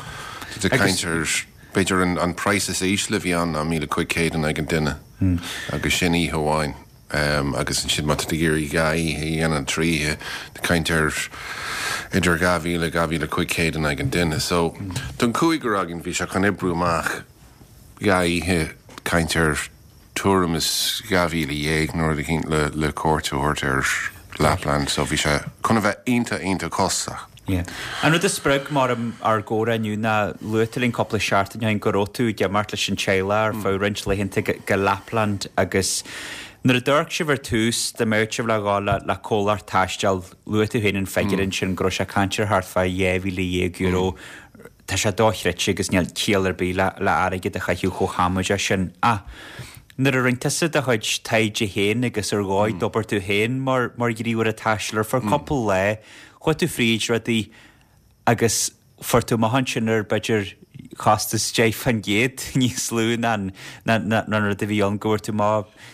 caint ar b'fhéidir an, an price is ísle bhí an ná míle cúig chéad in aghaidh an duine agus sin oíche amháin. Um, agus ansin má tá tú ag iarraidh dhá oíche a dhéanamh trí caint ar idir dhá mhíle dhá mhíle cúig chéad in aghaidh an duine. So don cúigear againn bhí sé chun oibriú amach dhá oíche caint ar tuairim is dhá mhíle dhéag nuair a cinn le le cuairt a thabhairt ar Lapland, so bhí sé chun a bheith iontach iontach costasach. Yeah. An rud a spreag mar ár gcomhrá inniu ná luaigh tú linn cúpla seachtain go raibh tú ag imeacht leis an teaghlach ar feadh roinnt laethanta go, go Lapland agus nuair a d'amharc sibh ar tús dá mbeadh sibh le dhul le, le comhlacht taistil luaigh tú féin an figiúr ansin go raibh sé caint ar thart fá dhá mhíle dhéag euro Tá sé dochreidte agus níl ciall ar bith le, le airgead a chaitheamh chomh hamaideach sin. Ah, nuair a rinne tusa do chuid taighde féin agus ar dhóigh d'obair tú féin mar mar ghníomhaire taistil ar feadh cúpla lá, chuaigh tú fríd rudaí agus fuair tú amach ansin ar b'fhéidir chostas deich faoin gcéad níos lú ná ná ná an rud a bhí ann go bhfuair tú má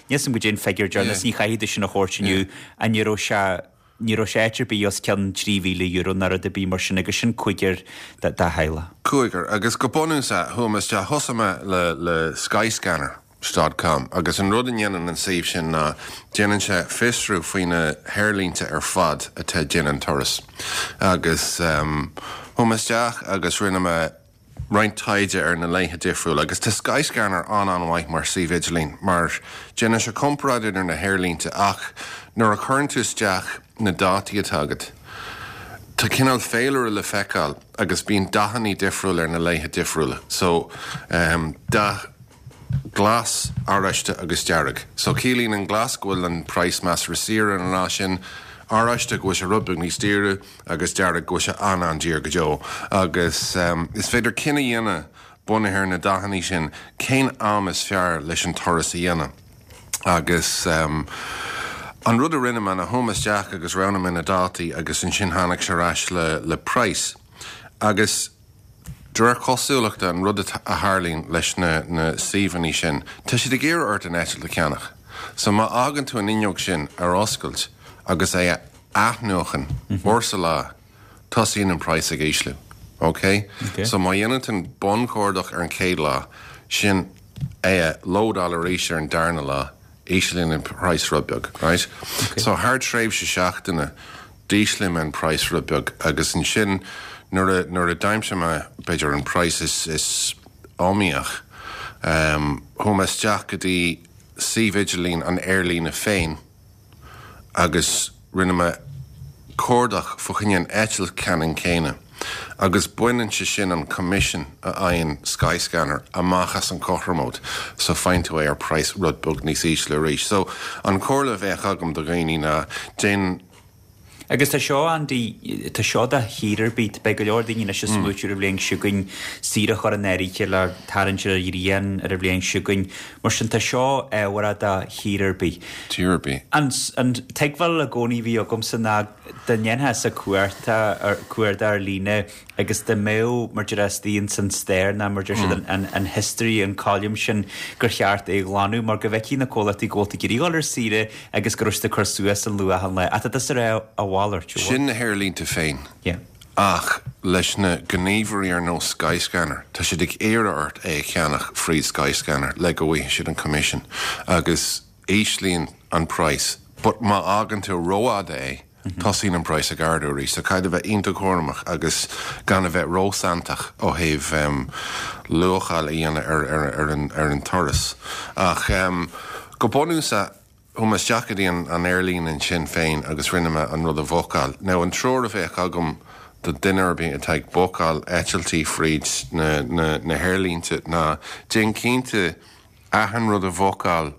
níos go dtí an figiúr deireanach ní chaithfidh tú sin a thabhairt inniu an ní raibh sé ní raibh sé áit ar bith os cionn trí mhíle euro ná rud ar bith mar sin agus sin cúigear de theaghlach. Cúigear agus go bunúsach chuaigh mé isteach thosaigh mé le le Skyscanner dot com agus an rud a dhéanann an suíomh sin ná déanann sé fiosrú faoi na haerlínte ar fad atá ag déanamh an turas agus um, chuaigh mé isteach agus rinne mé roinnt taighde ar na laethe difriúla agus tá Skyscanner an an-mhaith mar suíomh idirlín mar déanann sé comparáid idir na haerlínte ach nuair a chuireann tú isteach na dátaí atá agat. Tá cineál féilire le feiceáil agus bíonn dathanna difriúil ar na laethe difriúla. So um, dath glas oráiste agus dearg. So ciallaíonn an glas go bhfuil an price measartha saor ar an lá sin, oráiste go bhfuil sé rud beag níos daoire agus dearg go bhfuil sé an an-daor go deo. Agus um, is féidir cinneadh a dhéanamh bunaithe ar na dathanna sin cén am is fearr leis an turas a dhéanamh. Agus um, an rud a rinne mé ná chuaigh mé isteach agus roghnaigh mé na dátaí agus ansin tháinig sé ar ais le, le price. Agus de réir cosúlachta an rud a tharlaíonn leis na, na suíomhanna sin, tá siad ag iarraidh ort an eitilt a cheannach. So má fhágann tú an fhuinneog sin ar oscailt agus é a athnuachan uair sa lá, tosaíonn an price ag ísliú. Ok? Okay. So má dhéanann tú an bunchuardach ar an chéad lá, sin é a lódáil arís ar an darna lá, íslíonn an price rud beag, right? Okay. So thar tréimhse seachtaine d'ísligh mé an price rud beag agus ansin nuair a nuair a d'aimsigh mé b'fhéidir an price is is iomaíoch um, chuaigh mé isteach go dtí suíomh idirlín an aerlíne féin agus rinne mé cuardach fá choinne an eitilt ceannann céanna Agus baineann sé sin an commission a fhaigheann Skyscanner amach as an cothromóid, so faigheann tú é ar praghas rud beag níos ísle arís. So an comhairle a bheadh agam do dhaoine ná déan Agus tá seo Andy, tá seo do thír ar bith, beidh go leor daoine anois ag smaoitiú ar an bhliain seo chugainn, saoire a chur in áirithe le tarraingt ar an ghrian ar an bhliain seo chugainn. Mar sin tá seo ábhartha do thír ar bith. Tír ar bith. An an tuigbheáil i gcónaí a bhí agamsa ná dá ndéanfása cuarta cuardach ar líne agus dá mbeadh mar deir istigh ins an stair ná mar deir siad an, an, an history, an column sin gur cheart é a ghlanadh mar go bhfeicfidh na comhlachtaí go bhfuil tú ag iarraidh dul ar saoire agus go raibh siad ag cur suas an luach an lae. Ach tá tusa ag rá a mhalairt, an bhfuil? Sin na haerlínte féin. Yeah. Ach leis na gníomhairí ar nós Skyscanner, tá siad ag iarraidh ort é a cheannach fríd Skyscanner le go bhfaighidh siad an commission agus íslíonn an praghas. But má fhágann tú rófhada é, tosaíonn an praghas ag ardú arís. So caithfidh a bheith iontach cúramach agus gan a bheith róshantach ó thaobh luacháil a dhéanamh ar ar ar an ar an turas. Ach go bunúsach, chuaigh mé isteach go dtí an an aerlíne ansin féin agus rinne mé an rud a bhookáil. Now an treoir a bheadh agam do duine ar bith atá ag bookáil eitiltí fríd na na na haerlínte ná déan cinnte achan rud a bhookáil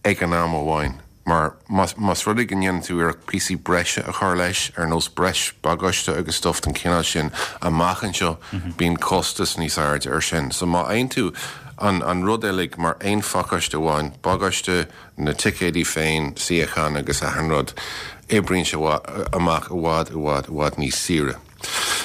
ag an am amháin, mar más rud é go ndéanann tú iarracht píosaí breise a chur leis, ar nós breis bagáiste agus stuff den chineál sin, amach anseo, bíonn costas níos airde air sin. So má fhaigheann tú an an rud uilig mar aon phacáiste amháin, bagáiste, na ticéidí féin, suíochán agus achan rud, oibríonn sé amach i bhfad, i bhfad, i bhfad níos saoire.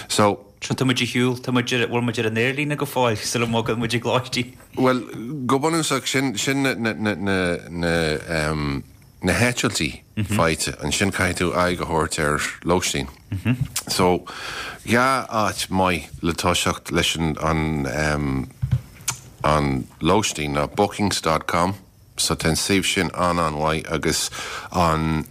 So. So tá muid ar shiúl, tá muid ar, bhfuil muid ar an aerlíne go fóill sula mbogann muid ag lóistín? Bhuel, go bunúsach, sin, sin na, na, na, na, na, em, na heitiltí faighte. Ansin caithfidh tú aghaidh a thabhairt ar lóistín. So, dhá áit maith le toiseacht leis an, an, em, an lóistín ná bookings dot com, So tá an suíomh sin an-an-mhaith agus an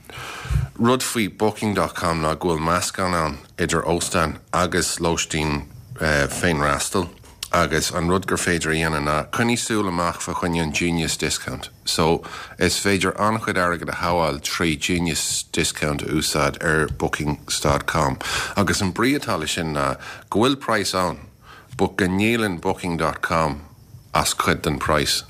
rud faoi booking dot com ná go bhfuil meascán ann idir óstán agus lóistín féinfhreastail agus an rud gur féidir a dhéanamh ná coinnigh súil amach fá choinne an Genius Discount. So is féidir an-chuid airgid a shábháil trí Genius Discount a úsáid ar bookings dot com agus an brí atá leis sin ná go bhfuil praghas ann but go ndíolann booking dot com as cuid den praghas.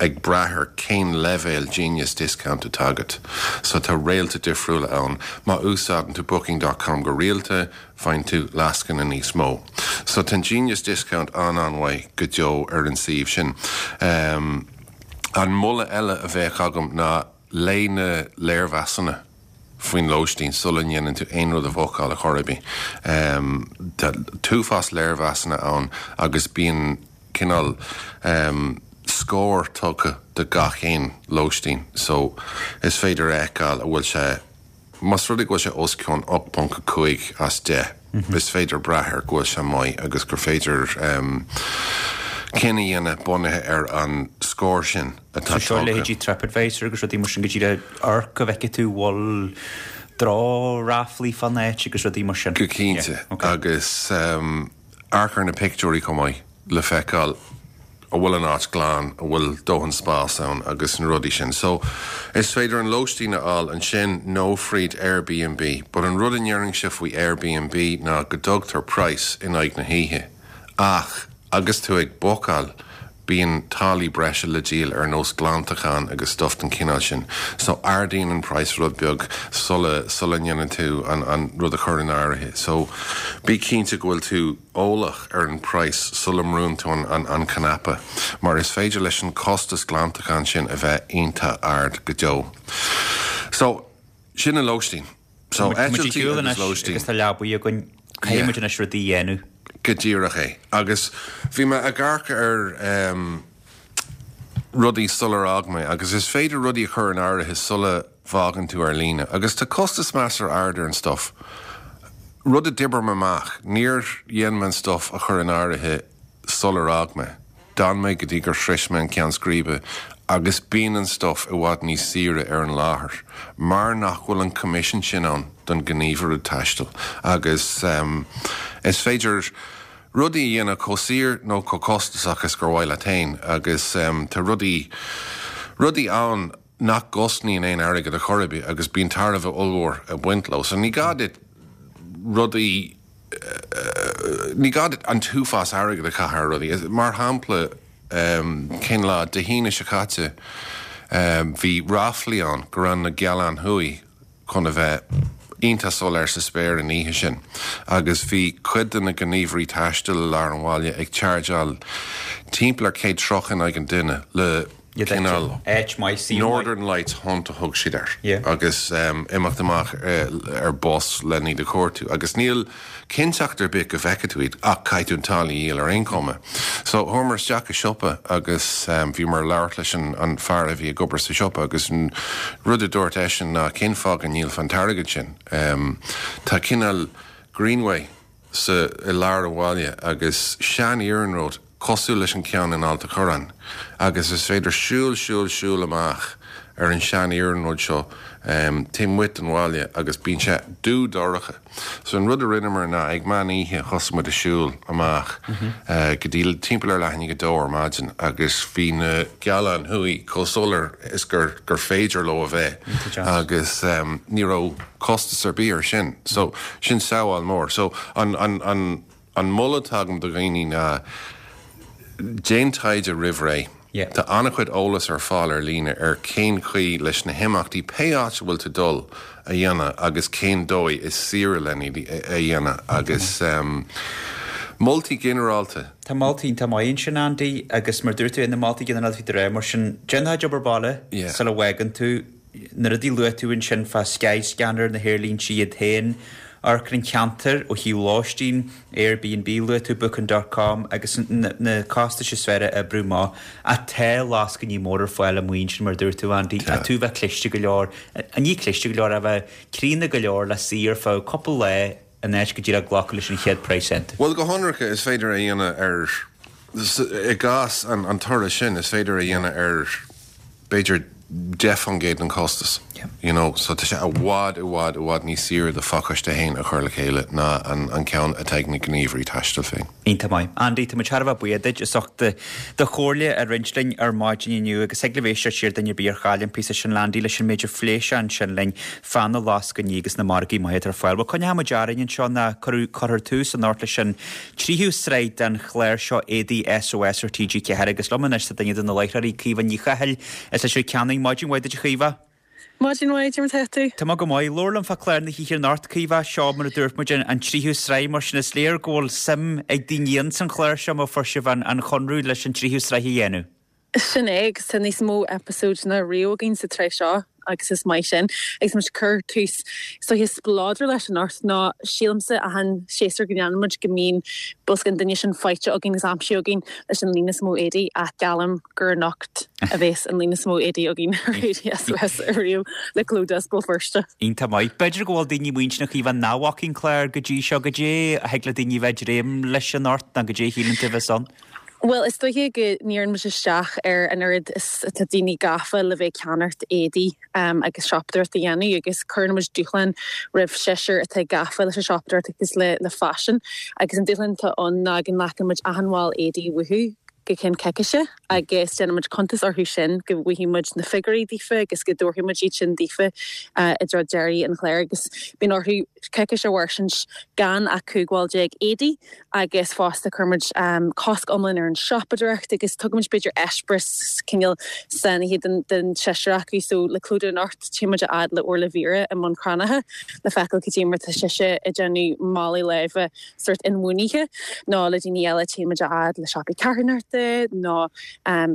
Ag brath ar cén leibhéal Genius Discount atá agat. So tá réalta difriúla ann. Má úsáideann tú Booking dot com go rialta, faigheann tú lascaine níos mó. So tá an Genius Discount an-an-mhaith go deo ar an suíomh sin. An moladh eile a bheadh agam ná léigh na léirmheasanna faoin lóistín sula ndéanann tú aon rud a bhookáil ar chor ar bith. Tá t-uafás léirmheasanna ann agus bíonn cineál scór tugtha do gach aon lóistín so is féidir a fheiceáil an bhfuil sé, más rud é go bhfuil sé os cionn ocht ponc a cúig as deich, is féidir brath air go bhfuil sé maith agus gur féidir cinneadh a dhéanamh bunaithe ar an scór sin atá So seo tugtha. leithéidí TripAdvisor agus rudaí mar sin go díreach amharc go bhfeicfidh tú bhfuil drochráflaí fán áit agus rudaí mar sin. Go cinnte Yeah, okay. agus amharc ar na pictiúirí chomh maith le feiceáil an bhfuil an áit glan, an bhfuil dóthain spás ann agus na rudaí sin. So, is féidir an lóistín a fháil ansin nó fríd Airbnb, but an rud a ndéarfainnse faoi Airbnb ná go dtugtar praghas in aghaidh na hoíche ach agus tú ag bookáil bíonn táillí breise le díol ar nós glantachán agus stuff den chineál sin. So ardaíonn an praghas rud beag sula sula ndéanann tú an an rud a chur in áirithe. So bí cinnte go bhfuil tú eolach ar an praghas sula mbrúnn tú an an an cnaipe mar is féidir leis an costas glantacháin sin a bheith iontach ard go deo. So sin an lóistín. So Tá muid ag eitiltí siúl agus anois lóistín. agus tá leabaí againn. Caithfidh Yeah. muid anois rudaí a dhéanamh. Go díreach é. Agus bhí mé ag amharc ar em, rudaí sular fhág mé, agus is féidir rudaí a chur in áirithe sula bhfágann tú ar líne. Agus tá costas measartha ard ar an stuff. Rud a d'oibrigh mé amach, níor dhein mé an stuff a chur in áirithe sular fhág mé. D'fhan mé go dtí gur shroich mé an ceann scríbe agus bíonn an stuff i bhfad níos saoire ar an láthair mar nach bhfuil an coimisiún sin ann don ghníomhaire taistil agus um, is féidir rudaí a dhéanamh chomh saor nó chomh costasach is gur mhaith leat féin agus um, tá rudaí rudaí ann nach gcosnaíonn aon airgead ar chor ar bith agus bíonn tairbhe ollmhór ag baint leo. So ní gá duit rudaí Ní gá an t-uafás airgead a chaitheamh ar rudaí. Mar shampla, cén lá, Dé hAoine seo caite, bhí ráflaí ann go raibh na Gealáin Thuaidh chun a bheith iontach soiléir sa spéir an oíche sin agus bhí cuid de na gníomhairí taistil i lár an bhaile ag chargeáil timpeall ar céad tríocha in aghaidh an duine le cineál Northern Lights Hunt a thug siad air agus imeacht amach ar bus len iad a chuartú agus níl cinnteacht ar bith go bhfeicfidh tú iad ach caithfidh tú an táille a dhíol ar aon chuma. So chuamar isteach i siopa agus bhíomar ag labhairt leis an fear a bhí ag obair sa siopa agus an rud a dúirt eisean ná cén fáth go ndíolfá an t-airgead sin? Tá cineál greenway sa i lár an bhaile agus sean-iarnród cosúil leis an ceann in Ailt a' Chorráin agus is féidir siúl, siúl, siúl amach ar an sean-iarnród seo taobh amuigh den bhaile agus bíonn sé dubh dorcha. So an rud a rinneamar ná ag meán oíche thosaigh muid ag siúl amach go dtí timpeall ar leath i ndiaidh a dó ar maidin agus bhí na Gealáin Thuaidh chomh soiléir is gur gur féidir leo a bheith agus ní raibh costas ar bith ar sin. So sin sábháil mór. So an an an an moladh atá agam do dhaoine ná déan taighde roimh ré. Tá an-chuid eolas ar fáil ar líne ar cén chaoi leis na himeachtaí, pé áit a bhfuil tú ag dul, a dhéanamh agus cén dóigh is saoire len iad a dhéanamh agus moltaí ginearálta. Tá moltaí iontach maith ansin, Andy, agus mar dúirt tú, na moltaí ginearálta faoi do ré, mar sin, déan do chuid obair baile sula bhfágann tú. Na rudaí a luaigh tú ansin fá Skyscanner, na haerlínte iad féin, amharc ar an cheantar ó thaobh lóistín, Airbnb, luaigh tú Booking dot com agus na costais is fearr a oibriú amach. Ach tá lascainí móra ar fáil amuigh ansin mar a dúirt tú, Andy, ach tú bheith cliste go leor, ní cliste go leor, a bheith críonna go leor le suí ar feadh cúpla lá in áit go díreach glacadh leis an chéad praghas iontu. Bhuel, go hionraic, is féidir a dhéanamh ar, i gcás an turais sin, is féidir a dhéanamh ar, b'fhéidir, deich faoin gcéad den chostas, you know, so tá sé i bhfad, i bhfad, i bhfad níos saoire do phacáiste féin a chur le chéile ná an an ceann atá ag na gníomhairí taistil féin. Iontach maith. Andy, tá muid thar a bheith buíoch duit as ucht do chomhairle a roinnt linn ar maidin inniu agus thig libh éisteacht siar duine ar bith ar chaill an píosa sin le Andy leis an méid a phléigh sé ansin linn fá na lascainí agus na margaí maithe atá ar fáil. Bhuel, coinneoidh muid orainn anseo ná cuirfear tús anocht leis an tríú sraith den chlár seo Éadaí SOS ar T G ceathair agus liom anois tá duine de na láithreoirí, Caoimhe Ní Chathail, as Leitir Ceanainn. Maidin mhaith duit a Chaoimhe. Maidin mhaith, cad é mar atá tú? Tá mé go maith. Labhair liom fá chlár na hoíche anocht, Caoimhe. Seo, mar a dúirt muid, an tríú sraith, mar sin is léir go bhfuil suim ag daoine ins an chlár seo má fuair sibh an conradh leis an tríú sraith a dhéanamh. Sin é, agus tá níos mó eipeasóid ná riamh againn sa tsraith seo agus is maith sin. Agus muid ag cur tús is dóiche spleodrach leis anocht nó sílimse achan séasúr go ndéanann muid go mbíonn bosca an duine sin faighte againn agus aimsithe againn leis an líon is mó éadaí ach geallaim gur anocht a bhéas an líon is mó éadaí againn ar Éadaí SOS ariamh le cló as Béal Feirste. Iontach maith. B'fhéidir go bhfuil daoine muinteartha a Chaoimhe nach bhfaca an clár go dtí seo, goidé a thig le daoine bheith ag dréim leis anocht nó goidé a shíleann tú a bheas ann. Bhuel, is dóiche go ndíríonn muid isteach ar an oiread is atá daoine gafa le bheith ag ceannacht éadaí agus siopadóireacht a dhéanamh agus cuireann muid dúshlán roimh seisear atá gafa leis an siopadóireacht agus le le faisean agus an dúshlán atá ann ná go nglacann muid achan bhall éadaí uathu go ceann coicíse agus déanann muid cuntas orthu sin go bhfaighidh muid na figiúirí daofa agus go dtabharfaidh muid iad sin daofa i dtreo deiridh an chláir agus bíonn orthu coicís a mhairsint gan ach cúig bhall déag éadaí agus fosta cuirimid cosc iomlán ar an siopadóireacht agus tugaimid b'fhéidir eispéireas cineál sainithe den den seisear acu so le clúdach anocht téimid a fhad le Orla Vera i mbun Cranncha le feiceáil cad é mar tá sise ag déanamh málaí láimhe sórt inbhuanaithe nó le daoine eile téimid a fhad le siopaí carthanachta nó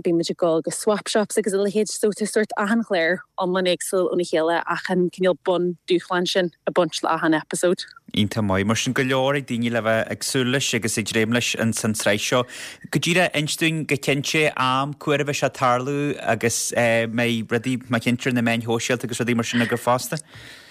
bímid ag dul go swap shops agus a leithéid so tá sórt achan chlár iomlán éagsúil óna chéile ach an cineál bun dúshlán sin ag baint le achan episode. Iontach maith. Mar sin, go leor ag daoine le bheith ag súil leis agus ag dréim leis ins an tsraith seo. Go díreach, inis dúinn go cinnte am, cá huair a bheidh sé ag tarlú agus mbeidh rudaí mar cinnte ar na meáin shóisialta agus rudaí mar sin agaibh fosta?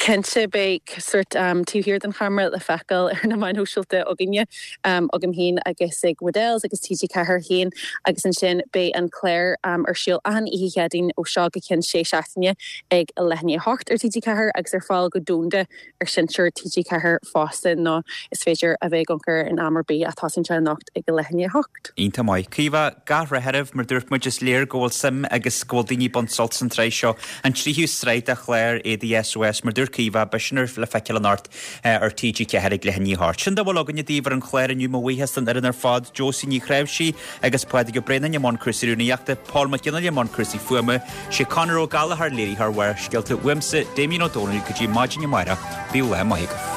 Cinnte, beidh sórt taobh thiar den cheamara le feiceáil ar na meáin shóisialta againne, agam féin agus ag Waddell's agus T G ceathair féin agus ansin beidh an clár ar siúl achan oíche Chéadaoin ó seo go ceann sé seachtaine ag a leath i ndiaidh a hocht ar T G ceathair agus ar fáil go domhanda ar Seinnteoir T G ceathair fosta nó is féidir a bheith ag amharc air in am ar bith ach tosaíonn sé anocht ag a leath i ndiaidh a hocht. Iontach maith. Caoimhe, gach rath oraibh, mar dúirt muid, is léir go bhfuil suim agus go bhfuil daoine ag baint sult as an tsraith seo, an tríú sraith de chlár Éadaí SOS. Mar dúirt Caoimhe, beidh sin ar le feiceáil anocht ar T G ceathair ag leath i ndiaidh a hocht. Sin dá bhfuil againne daoibh ar an chlár inniu, mo bhuíochas don fhoireann ar fad, Josie Ní Chnáimhsí agus Pádraig Ó Braonáin i mbun cúrsaí rúnaíochta, Paul Mac Fhionnghaile i mbun cúrsaí fuaime, sé Conor Ó Gallchóir léiritheoir Bharrscéalta, uaimse, Damien Ó Dónaill, go dtí maidin amárach, bíodh lá maith agaibh.